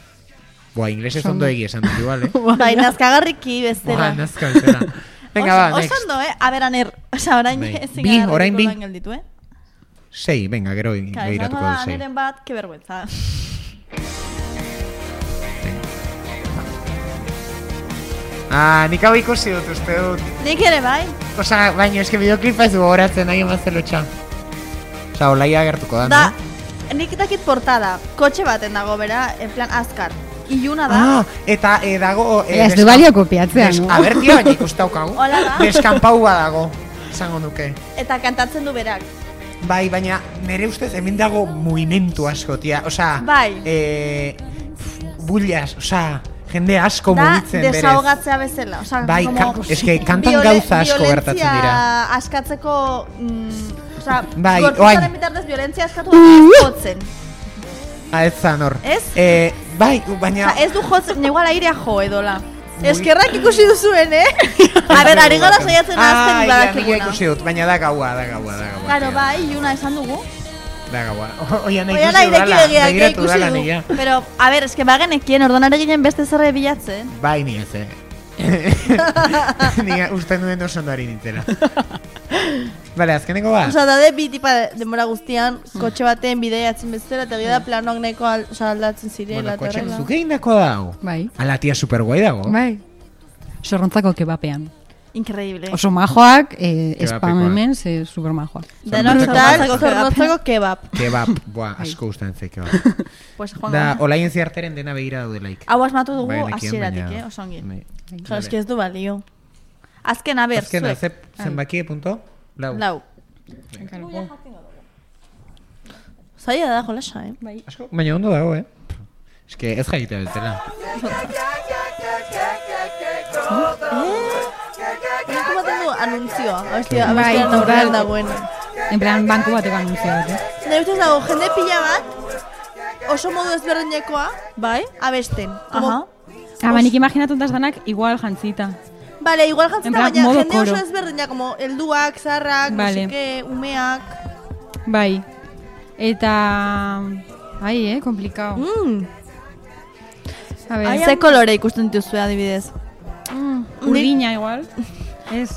Boa, inglesez ondo egi esan dut, igual, eh? bai, nazkagarriki Boa, bestela. nazka bezala. Venga, ba, Oso- next. Oso ondo, eh? A ber, aner, oza, orain Bai. ezin Bi, gara orain bi. erditu gelditu, eh? Sei, venga, gero Claro, begiratuko izango da dut sei. aneren bat, que vergüenza. Ah, nik hau ikusi dut, uste dut. Nik ere bai. Osa, baina eske bideoklipa ez du horatzen nahi emazte lotxa. Osa, olaia gertuko da, Da, no? nik dakit portada, kotxe baten dago bera, en plan azkar. Iluna da. Ah, eta eh, dago... Eh, Ez du balio kopiatzea, des, no? A ber, tia, baina ikustaukagu. Hola da. Deskanpau badago, esango nuke. Eta kantatzen du berak. Bai, baina nire ustez hemen dago mugimendu asko, tia. Osea, Bai. eh, bullas, osea, jende asko Da, mugitzen berez. desahogatzea bezala. Osa, Bai, como ka- eske kantan viole- gauza asko gertatzen dira. Violentzia askatzeko... Mm, osa, Bai, gorputzaren oain. bitartez violentzia askatu baina jotzen. Ah, ez zan hor. Ez? Eh, bai, baina... Osa, ez du jotzen, igual airea jo edola. Eskerrak ikusi duzuen, eh? A ber, ari gara saiatzen azten Ah, ja, nik badakiguna. ikusi dut, baina da gaua, da gaua, da gaua. Claro, tia. bai, iluna esan dugu. Da gaua. Oian nahi Oian ikusi ireki dudala, begiak, eh, begiratu ikusi dala du. nila. Pero, a ber, eske bagenekien ordonan eginen beste zerre bilatzen. Bai, ni ez, eh. Ni uste nuen oso ondari nintzela. Bale, azkeneko ba? Osa, dade bi tipa de- denbora guztian, kotxe baten bideiatzen bezala, eta gida planoak nahiko al, osa, aldatzen zirela. Bueno, eta kotxen horrela. zuke indako dago. Bai. Ala, tia superguai dago. Bai. Sorrontzako kebapean. Increíble. Oso majoak, eh, Kebapekoa. spam hemen, ze super majoak. Denok Zornotzako tal, zornotzako kebab. Kebab, buah, asko gustatzen zei kebab. Pues, joan Da, gara. olaien ziarteren dena begira daudelaik. Hau asmatu dugu Bai, nekien, hasieratik, baina- eh, oso ongi. Bai. Jo, eski ez du balio. Azken, a ber, Azkena, zuek. ze zenbaki punto? Lau. Lau. Zaila da, jolasa, eh? Bai. Asko, baina ondo dago, eh? Eske ez jaita bezala. Nik ematen du anuntzioa, abestia, Bai, abestia total. aurrean dagoen. En plan, banku bateko anuntzio bat, eh? Nire ustez dago, jende pila bat, oso modu ezberdinekoa, bai, abesten. Como, Ah, ba, nik imaginatu daz danak igual jantzita. Vale, igual jantzita, En plan, baina modo jende oso koro. ezberdina, como helduak, zarrak, Vale. musike, umeak. Bai. Eta... Ai, eh, komplikao. Mm. A ver, Ze kolore ikusten dituzue adibidez? mm, urdina igual. Ez.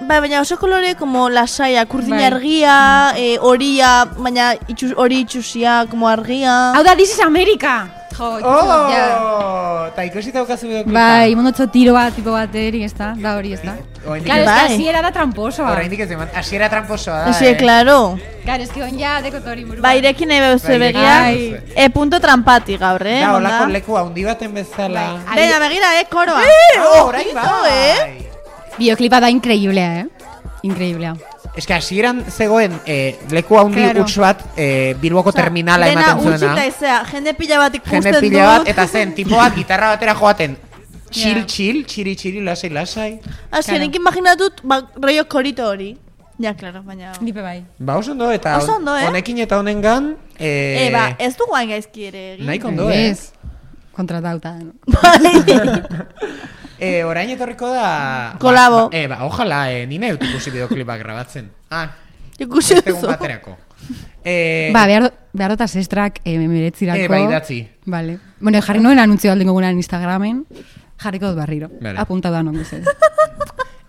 Bai, baina oso kolore como lasaia, urdina Bai. argia, eh, horia, baina itxus, hori itxusia, como argia. Hau da, This is America! Jo, ikusi- ja. Oh! Ta ikusi daukazu bideoklipa. Bai, mondotxo tiro bat, tipo baterik, ez da? Da hori, ez da? Oraindik Claro, ez- es que Bai. así era da tramposoa. Oraindik ez eman, hasiera tramposoa da, Esi, eh? claro. Claro, es que on ja dekotori burua. Ba, irekin nahi behuzu Bai, begia. Bai. E punto trampati gaur, eh? Da, onda? olako leku handi baten bezala. Bai. Venga, begira, eh, koroa. Ah, orain ojito, bai. eh? Bideoklipa da increíblea, eh? Increíblea. Ez que hasieran zegoen eh, leku handi Claro. huts bat eh, Bilboko terminala ematen zuena. Dena utxita izea, jende pila bat ikusten Jende dut. pila bat, eta zen, tipoak gitarra batera joaten. Chill, Ja. chill, txiri, txiri, lasai, lasai. Azken, Claro. nik imaginatut, ba, rollo korito hori. Ja, claro, baina... Nipe bai. Ba, oso ondo, eta Oso ondo, eh? honekin eta honengan... Eh, E, ba, ez dugu hain gaizki ere egin. nahiko ondo, eh? Ez. Kontratauta. No? Eh, orain etorriko da... Kolabo. Ba, ba, eh, ba, ojalá, eh, nina dut ikusi bideoklipak grabatzen. Ah, Ikusi beste egun duzu. baterako. Eh, Ba, behar, behar dut asestrak eh, meretzirako. Eh, bai, idatzi. Vale. Bueno, jarri noen anuntzio aldengo gunan Instagramen. Jarriko dut barriro. Vale. Apunta da non guzet.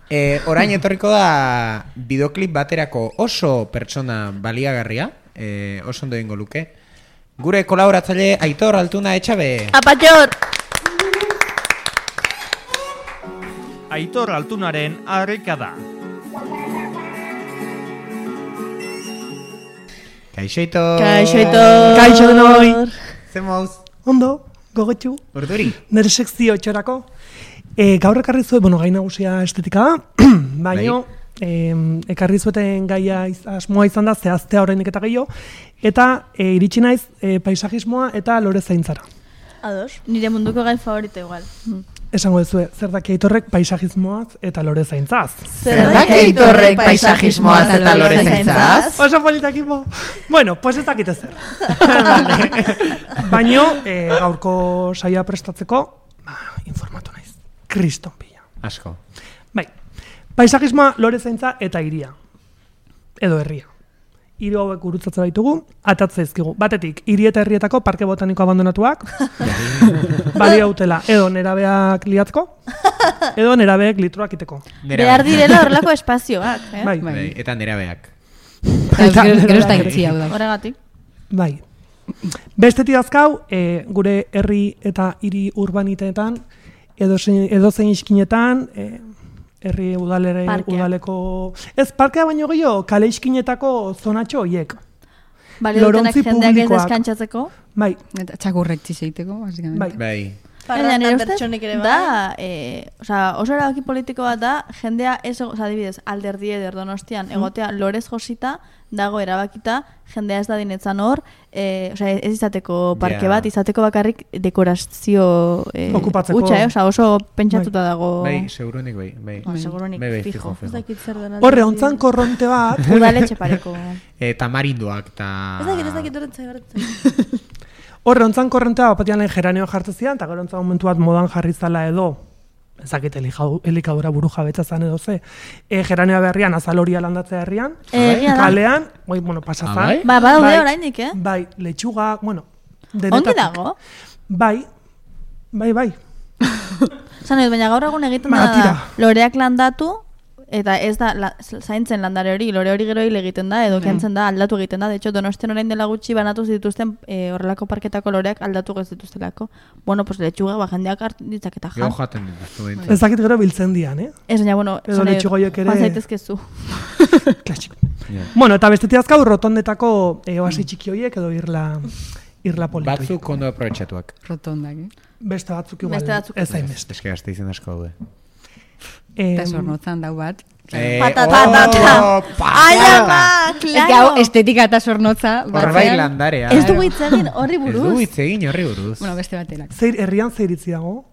Eh, orain etorriko da bideoklip baterako oso pertsona baliagarria, eh, oso ondo egingo luke. Gure kolaboratzaile Aitor Altuna Etxabe. Apatxor! Aitor Altunaren harrika da. Kaixo Aitor. Kaixo, Aitor! Kaixo denoi. Ze mouz? Ondo, gogotxu, Urduri. nire sekzio txorako. E, gaur ekarri zuen, bueno, gai nagusia estetika da, baino, e, ekarri zueten gaia iz, asmoa izan da, zehaztea horreinik eta gehiago, eta e, iritsi naiz e, paisajismoa eta lore zaintzara. Ados. Nire munduko gai favorito igual. Esango duzue, zer daki Aitorrek paisajismoaz eta lore zaintzaz. Zer daki Aitorrek paisajismoaz eta lore zaintzaz? Oso politakimo. Bueno, pues ez dakite zer. Baino, e, gaurko saia prestatzeko, ba, informatu naiz. Kriston pila. Asko. Bai, paisajismoa, lore zaintza eta hiria. Edo herria. Hiru hauek gurutzatzen baitugu, atatzea izkigu. Batetik, hiri eta herrietako parke botaniko abandonatuak, balio hautela, edo nerabeak liatzko, edo nerabeek litroak iteko. Behar direla horrelako espazioak, eh? Bai, Bai, eta nerabeak. Eta Gero gero ez da nerabeak. itzi hau da. Horregatik. Bai. Bestetik azkau, e, gure herri eta hiri urbaniteetan, edo zein iskinetan, e, herri udalere, Parkea. udaleko... Ez, parkea baino gehiago, kale iskinetako zonatxo hoiek. Balio dutenak Lorontzi jendeak ez publikoak. deskantzatzeko. Bai, Eta txakurrek txizeiteko, basicamente. bai. Bai. Baina Parrandan nire ustez pertsonik ere bai. da, e, osea, oso erabaki politiko bat da, jendea ez, osea, adibidez, alderdi eder Donostian, egotea lorez josita, dago erabakita, jendea ez da dinetzan hor, e, osea, ez izateko parke Ja. bat, izateko bakarrik dekorazio e, Okupatzeko. hutsa, eh? Osea, oso pentsatuta dago. Bai, segurunik bai. Bai, Ba, segurunik bai, bai, fijo. fijo, Ez fijo. dakit zer den. Horre, ontzan korronte bat, Udaletxe pareko. E, tamarindoak eta... Ez dakit, ez dakit horretzai horretzai. horre, ontzan korrontea bapatian lehen geranioa jartzen zian, eta gero ontzan momentu bat modan jarri zala edo, ezakit elikadura buru jabetza zan edo ze, e, geranioa berrian azaloria landatzea herrian, Egia da. kalean, oi, bueno, pasazan. Ah, bai? Ba, badaude Bai. oraindik, eh? Bai, letxuga, bueno, Ongi denetatik. dago. Bai, bai, bai. Zan edo, baina gaur egun egiten Ba, da, tira. da loreak landatu, eta ez da la, zaintzen landare hori, lore hori gero hil egiten da, edo kentzen da, aldatu egiten da. De hecho, Donostian orain dela gutxi banatu dituzten e, horrelako parketako loreak aldatu ez dituztelako. Bueno, pues letxuga, ba, jendeak hart ditzaketa Gero jan. jaten dituztu behintzat. Ez dakit gero biltzen dian, eh? Ez, baina, bueno, Edo esan nahi dut, letxugoiek ere- joan zaitezkezu. Klasiko. Ja. Bueno, eta bestetik azkau rotondetako e, oasi txiki horiek edo irla, irla politu. Batzuk ondo aprobetxatuak. Rotondak, eh? Beste batzuk igual, Beste batzuk ez hainbeste. Eske gazte izen asko daude. Eta Em, sornotzan dau bat. Eh, Patata, oh, patata. patata. Ai, ama, Ez gau, claro. estetika eta sornotza. Hor bai batzean. landarea. Ez dugu hitz egin horri Ez du buruz. hitz egin horri buruz. Bueno, beste baterak. Zeir, herrian zeiritzi dago,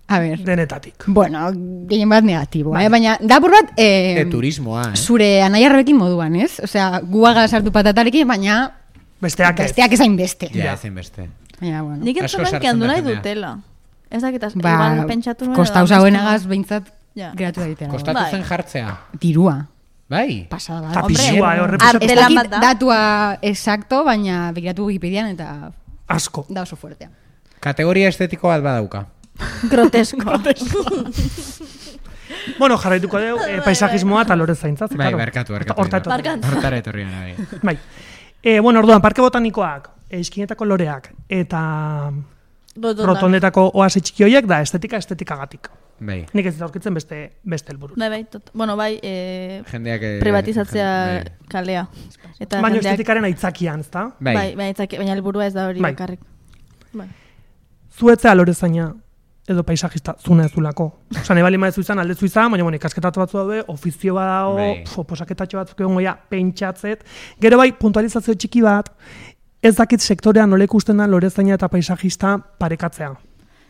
A ber, denetatik. bueno, gehien bat negatiboa, eh? Baina, dapur bat, eh, E, turismoa, eh? zure anaiarrekin moduan, ez? Osea, guaga sartu patatarekin, baina Besteak ez. besteak ezain beste. Ja, ezin beste. Baina, bueno. Nik Asko entzun sartzen handu da nahi jendea. dutela. Ez dakit, az- Ba, igual pentsatu nuen. kostau edo zauenagaz behintzat Ja. geratu daitela. Kostatu Bai. zen jartzea. Dirua. Bai? Pasada bat. Eta Hombre, pisua, eh, horre arte pisua Ez lan dakit bat da. datua exacto, baina begiratu Wikipedian eta asko. da oso fuertea. Kategoria estetiko bat badauka. Grotesko. Bueno, jarraituko dugu eh, paisajismoa eta lore zaintza. ze, Bai, claro. barkatu, barkatu. Horta etorri. Barkatu. Hortara etorri gara, bai. Bai. E, bueno, orduan, parke botanikoak, eskinetako loreak, eta Rotondan. rotondetako oasi txiki horiek da estetika estetikagatik. Bai. Nik ez dut aurkitzen beste beste helburu. Bai, bai, tot, bueno, bai, e, Jendeak... eh, privatizatzea jen- kalea. Eta Baina jendeak- estetikaren aitzakian, ezta? Bai. Bai, bai, itzaki- baina helburua ez da hori Bai. bakarrik. Bai. Zuetzea lorezaina edo paisajista zuna ezulako. Osa, nahi bali maezu izan, aldezu izan, baina bueno, ikasketatu batzu daude, ofizio bat dago, Bai. pf, posaketatxo batzuk egon goia, pentsatzet. Gero bai, puntualizazio txiki bat, ez dakit sektorean nola ikusten da lorezaina eta paisajista parekatzea.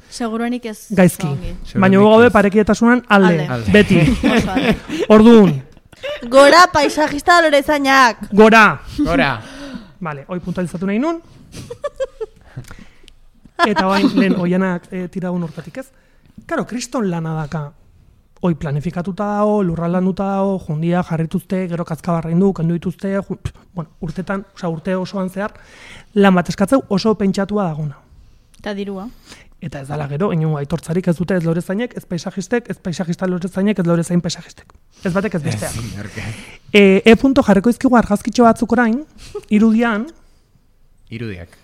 Seguruenik ez. Gaizki. oso ongi. Seguruenik Baina gu gaude ez. parekietasunan alde, Alde. beti. Oso alde. Orduan, Gora paisajista lorezainak. gora. Gora. Vale, hoi puntualizatu nahi nun. Eta bain, lehen oianak e, tiragun urtatik ez. Karo, kriston lana daka. Hoi planifikatuta dago, lurraldanduta dago, jundia jarrituzte, gero kazkabarra indu, kendu dituzte, ju, pff, bueno, urtetan, osea, urte osoan zehar, lan bat eskatzeu oso pentsatua dagona. Eta dirua. Eta ez dala gero, inungo aitortzarik ez dute ez lorezainek, ez paisajistek, ez paisajista lorezainek, ez lorezain paisajistek. Ez batek ez besteak. Ezin, orke. E, e punto jarriko izkigu argazkitxo batzuk orain, irudian, Irudiak.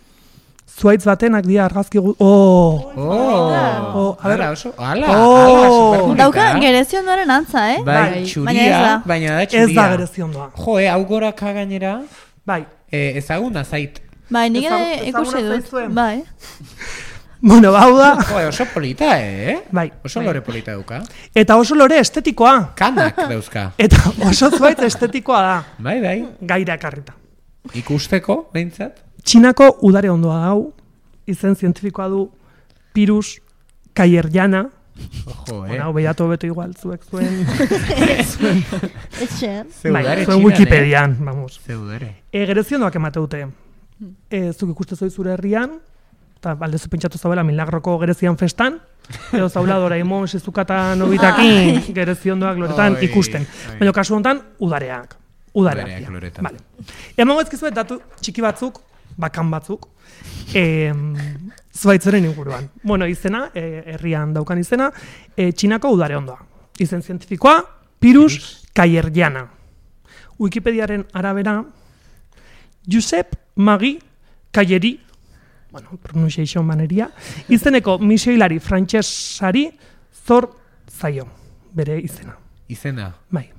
zuaitz batenak dira argazki gu... Oh! Oh! Oh, a ber. Ala, oso, ala, Oh! ala, superponika. Dauka gerezio ondoren antza, eh? Bai, Baina ez txuria, da. baina da txuria. Ez da gereziondoa. Jo, eh, hau goraka gainera, Bai. eh, ezaguna zait. Bai, nik ere Ezagu- ikusi ezaguna dut. zaizuen. Bai. Bueno, bau da. Jo, eh, oso polita, eh? Bai. Oso lore polita dauka. Eta oso lore estetikoa. Kanak dauzka. Eta oso zuaitz estetikoa da. Bai, bai. Gaira ekarrita. Ikusteko, behintzat. Txinako udare ondoa dau. Izen zientifikoa du Pirus Kaierjana. Ojo, eh? Bueno, hau behiatu beto igual, zuek zuen... zuen Etxean. bai, Zeudare zuen Txinan, Wikipedian, vamos. eh? Zeudare. E, gereziondoak emate dute. E, zuk ikuste zoi zure herrian, eta aldezu pentsatu zabela Milagroko gerezian festan, edo zaula Doraemon, Shizuka Nobitakin, gereziondoak loretan Oi, ikusten. oi. Baina kasu honetan, udareak. Udareak. Udareak dira. loretan. Vale. Emango ezkizuet datu txiki batzuk, bakan batzuk, e, zuaitzeren inguruan. Bueno, izena, e, herrian daukan izena, e, Txinako udare ondoa. Izen zientifikoa, Pirus Kaierjana. Wikipediaren arabera, Josep Magi Kaieri, bueno, pronunciation maneria, izeneko misioilari frantsesari zor zaio, bere izena. Izena. Bai.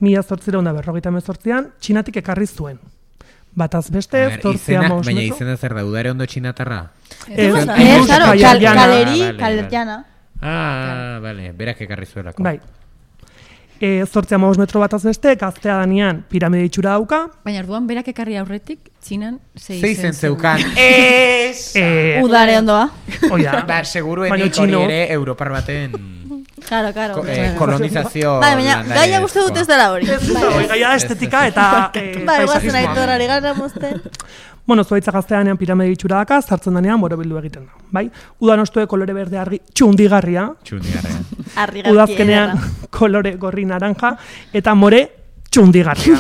Mila zortzireun da berrogeita hemezortzian, Txinatik ekarri zuen. bataz beste, A ver, zortzia izena, maus baina metro. izena zer da, udare ondo txinatarra? Ez, Ez, ez, claro, Kal- kal- Llana. kaleri, Vale, vale. kalerjana. Ah, bale, berak ekarri zuelako. Bai. E, zortzia maus metro bataz beste, gaztea danean piramide itxura dauka. Baina orduan berak ekarri aurretik, txinan zei Zei zen zen zeukan. Ez! E, Udare ondoa. Oia, Ba, seguruenik Baina hori txino. ere Europar baten Claro, claro. ko, eh, kolonizazio Bai, baina landare gaia uste dut ez dela hori. Oi, gaia da estetika eta e, Bai, guazen paisajismoa. aitorari gara mozten. Bueno, zuaitza gazteanean piramide itxura daka, zartzen danean borobildu egiten da. Bai? Udan ostue kolore berde argi txundigarria, txundigarrean. Argi udazkenean kolore gorri naranja, eta more txundigarria.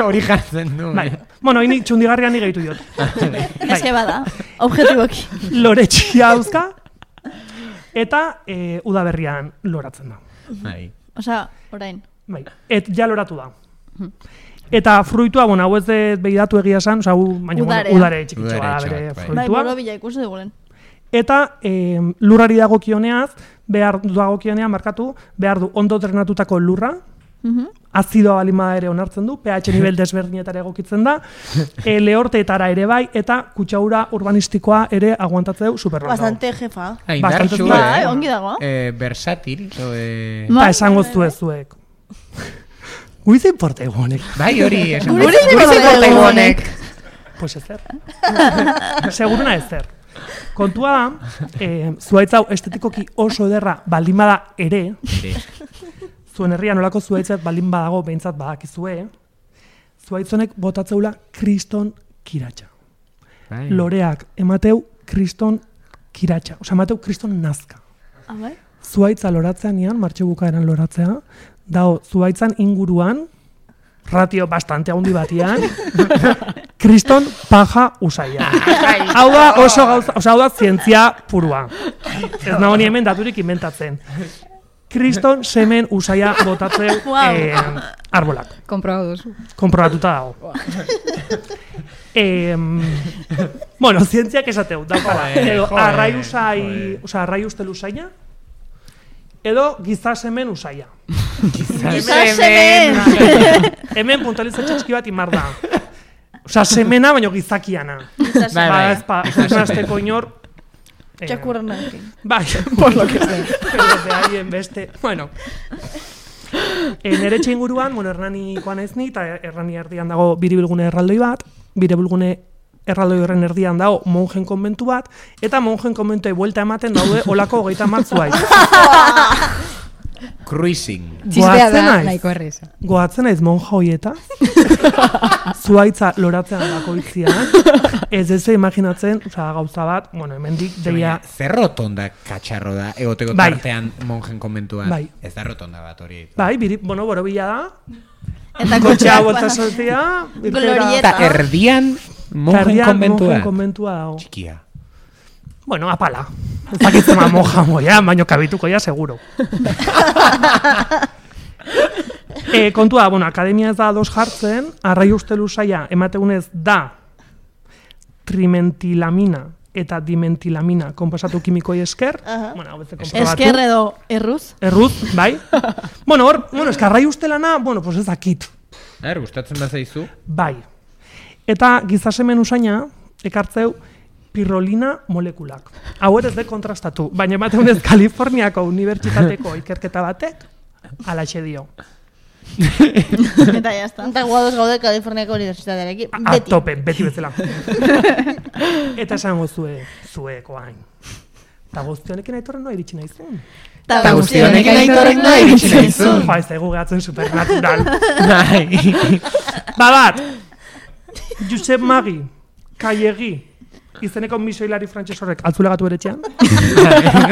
Hori jartzen du. Bai. Bueno, ini txundigarria ni gehitu diot. Ez que bada, objetiboki. Lore txia dauzka, eta e, udaberrian loratzen da. Bai. Osea, orain. Bai. Et ja loratu da. Eta fruitua, bueno, hau ez dut behidatu egia esan, oza, hu, baina, bueno, Udarea. udare txikitxoa da Udaretxoak, bere bai. Bai, fruitua. borobila ikusi dugulen. Eta e, lurrari dagokioneaz, behar dagokionean markatu, behar du ondo drenatutako lurra, azidoa balimada ere onartzen du, pH nivel desberdinetara egokitzen da, e, lehorteetara ere bai, eta kutsaura urbanistikoa ere aguantatzeu superrondo. Bastante jefa. Ah, Bastante indartsu, bai, eh? ongi dago. Eh, versátil, o, eh... Eta esango zuez zuek. Guize importa egonek. Bai, hori, esan. Guri zein Guri zein importa importa egonek. egonek. Pues ezer. Seguruna ezer. Kontua da, eh, zuaitz hau estetikoki oso ederra baldin bada ere, Ere. zuen herrian nolako zuaitzat baldin badago behintzat badakizue, zuaitzonek botatzeula kriston kiratxa. Bai. Loreak emateu kriston kiratxa. Osa, emateu kriston nazka. Ah, bai? Zuaitza loratzean ian, martxe bukaeran loratzea, dao, zuaitzan inguruan, ratio bastante handi batian, kriston paja usaia. Hau da oso gauza, osa, hau da zientzia purua. Ez nago ni hemen daturik inventatzen. Kriston semen usaia botatzeu Wow. eh, arbolak. Konprobatu duzu. Konprobatuta dago. Eh, bueno, zientziak esateu, daukala. Joder, Edo joder, arrai usai, joder. oza, arrai ustel usaia, edo giza semen usaia. Giza semen! Hemen puntualizatxe txiki bat imar da. Osa, semena baino gizakiana. Giza Bai, semen. Ba, bai. ez pa, Giza ez semen. nazteko inor. eh, Txakurrenekin. Bai, por lo que sea. Pero de ahí en beste. Bueno. E, nere inguruan, bueno, Hernanikoa naiz ni, eta Hernani erdian dago biribilgune erraldoi bat, biribilgune erraldoi horren erdian dago monjen konbentu bat, eta monjen konbentuei buelta ematen daude olako hogeita hamar zuaitz. Cruising. Txistea da, naiz. nahiko erreza. Goatzen naiz monja hoieta, zuaitza loratzean bakoitzian, ez ez imaginatzen, oza, gauza bat, bueno, hemendik deia, Baina, zer rotonda katxarro da, egoteko Bai. tartean monjen konbentuan. Bai. Ez da rotonda bat hori. bai, biri, bueno, borobila da, Eta kotxea kotxeak, bolta bueno, sortzea, Glorieta. Eta erdian monjen Erdian konbentua. monjen konbentua dago. Txikia. Bueno, apala. Ez dakitzen ma monja moia, baino kabituko ja, seguro. e, kontua, bueno, akademia ez da ados jartzen, arrai ustelu saia emategunez da trimentilamina eta dimentilamina konposatu kimikoi esker. Aha. Bueno, hau ez konprobatu. Esker edo erruz. Erruz, bai. bueno, hor, bueno, eska arrai ustelana, bueno, pues ez dakit. Er, gustatzen da zaizu? Bai. Eta gizasemen usaina, ekartzeu, pirrolina molekulak. Hau ere ez de kontrastatu, baina emateunez Kaliforniako unibertsitateko ikerketa batek, alaxe dio. Eta jazta. Eta guados gaude Kaliforniako unibertsitatearekin. A Beti. tope, beti bezala. Eta esango zue, zueko hain. Eta guztionekin aitorren noa iritsi naizun. Eta guzti honekin aitorrek noa iritsi naizun. Jo, ez daigu gehatzen supernatural. Bai. Ba bat, Josep Magi, Kaiegi, izeneko misoilari frantses horrek altzulegatu beretxean.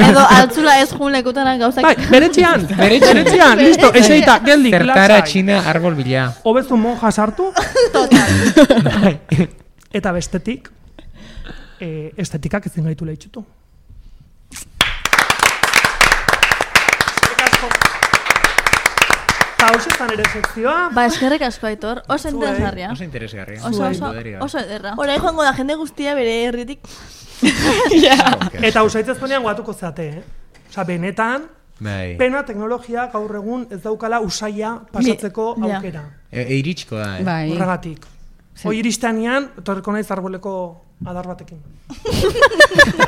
Edo altzula ez jun lekutaran gauzak. Bai, beretxean, Beretxean. beretxean, listo, eseita, geldik, Zertara lasai. txina arbol bila. Hobezu monja sartu, Total. eta bestetik, e, estetikak ezin gaitu lehitxutu. Eta hoxe zan ere sekzioa, Ba, eskerrik asko Aitor, oso interesgarria. Oso interesgarria. Oso, oso, Poderia. oso ederra. Horai joango da jende guztia bere herritik. eta usaitzezkonean guatuko zeate, eh? Osa, benetan, Bai. pena teknologia gaur egun ez daukala usaia pasatzeko Bi- ja. aukera. E, e, iritsiko da, eh? Bai. Horregatik. Hoi iristanean, torreko naiz arboleko adar batekin.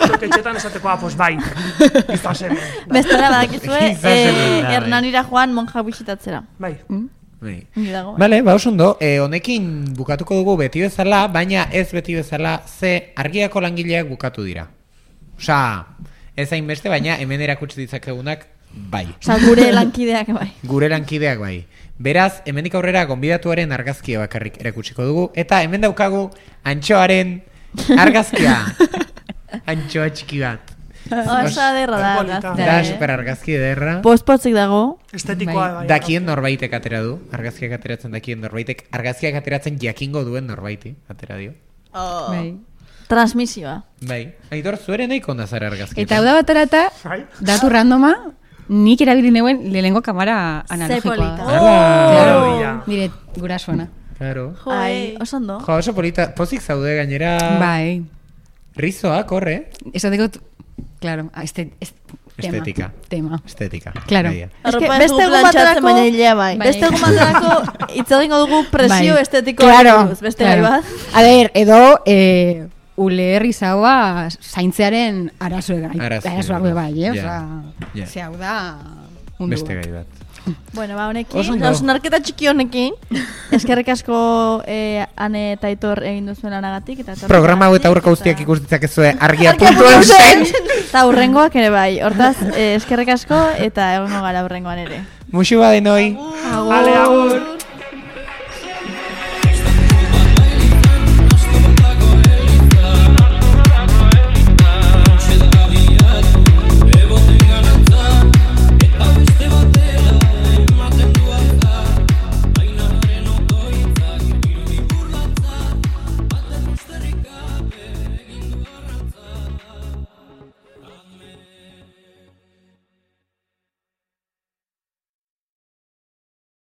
Zuek etxetan esateko, ah, pues bai, izaz hemen. Bestela badakizue, Izan zen, eh, bai. Hernanira joan monja bisitatzera. Bai. Bai. Ongi dago. Bale, ba, oso ondo, e, honekin bukatuko dugu beti bezala, baina ez beti bezala, ze argiako langileak bukatu dira. Osa, ez hainbeste, baina hemen erakutsi ditzakegunak, bai. Osa, gure lankideak bai. Gure lankideak bai. Beraz, hemendik aurrera gonbidatuaren argazkia bakarrik erakutsiko dugu, eta hemen daukagu antxoaren argazkia. Antxoa txiki bat. Osa derra da Polita. argazkia. Da, eh. super argazki ederra. Postpotzik dago. Estetikoa bai. Dakien norbaitek atera du, argazkiak ateratzen dakien norbaitek, argazkiak ateratzen jakingo duen norbaiti, atera dio. Oh. Bai. Transmisioa. Bai, Aitor, zuere nahiko nazara argazki. Eta hau da baterata, Bai. datu randoma, nik erabili neuen lehenengo kamara analogikoa. polita. Hala! Claro, ya. Nire gurasoena. Claro. Jo, Ai, oso ondo. Jo, oso polita, pozik zaude gainera. Bai. Rizoa, korre. Eso digo, claro, este, este tema. Estetika. Tema. Estetika. Claro. Bai, ja. Arropa beste ez dugu egun plantxatzen, baterako- baina hilea bai. Bai. Beste egun baterako hitz egingo dugu presio Bai. estetikoa. Claro, buruz, beste claro. gai bat. A ver, edo eh, ule herrizaua zaintzearen arazoak Arazoak, arazoak be bai, eh? ja, Osea, ja. ze hau da mundu Beste bat. gai bat. Bueno, ba, Oso honekin, ondo. hausnarketa txiki honekin, eskerrik asko eh, Ane eta Aitor egin duzuen lanagatik. Eta Programa hau eta aurreko guztiak eta- ikus ditzakezue argia Argia puntu puntu eusen. Eta hurrengoak ere bai. Hortaz, eh, eskerrik asko eta egongo gara hurrengoan ere. Muxu badenoi. Ale, agur!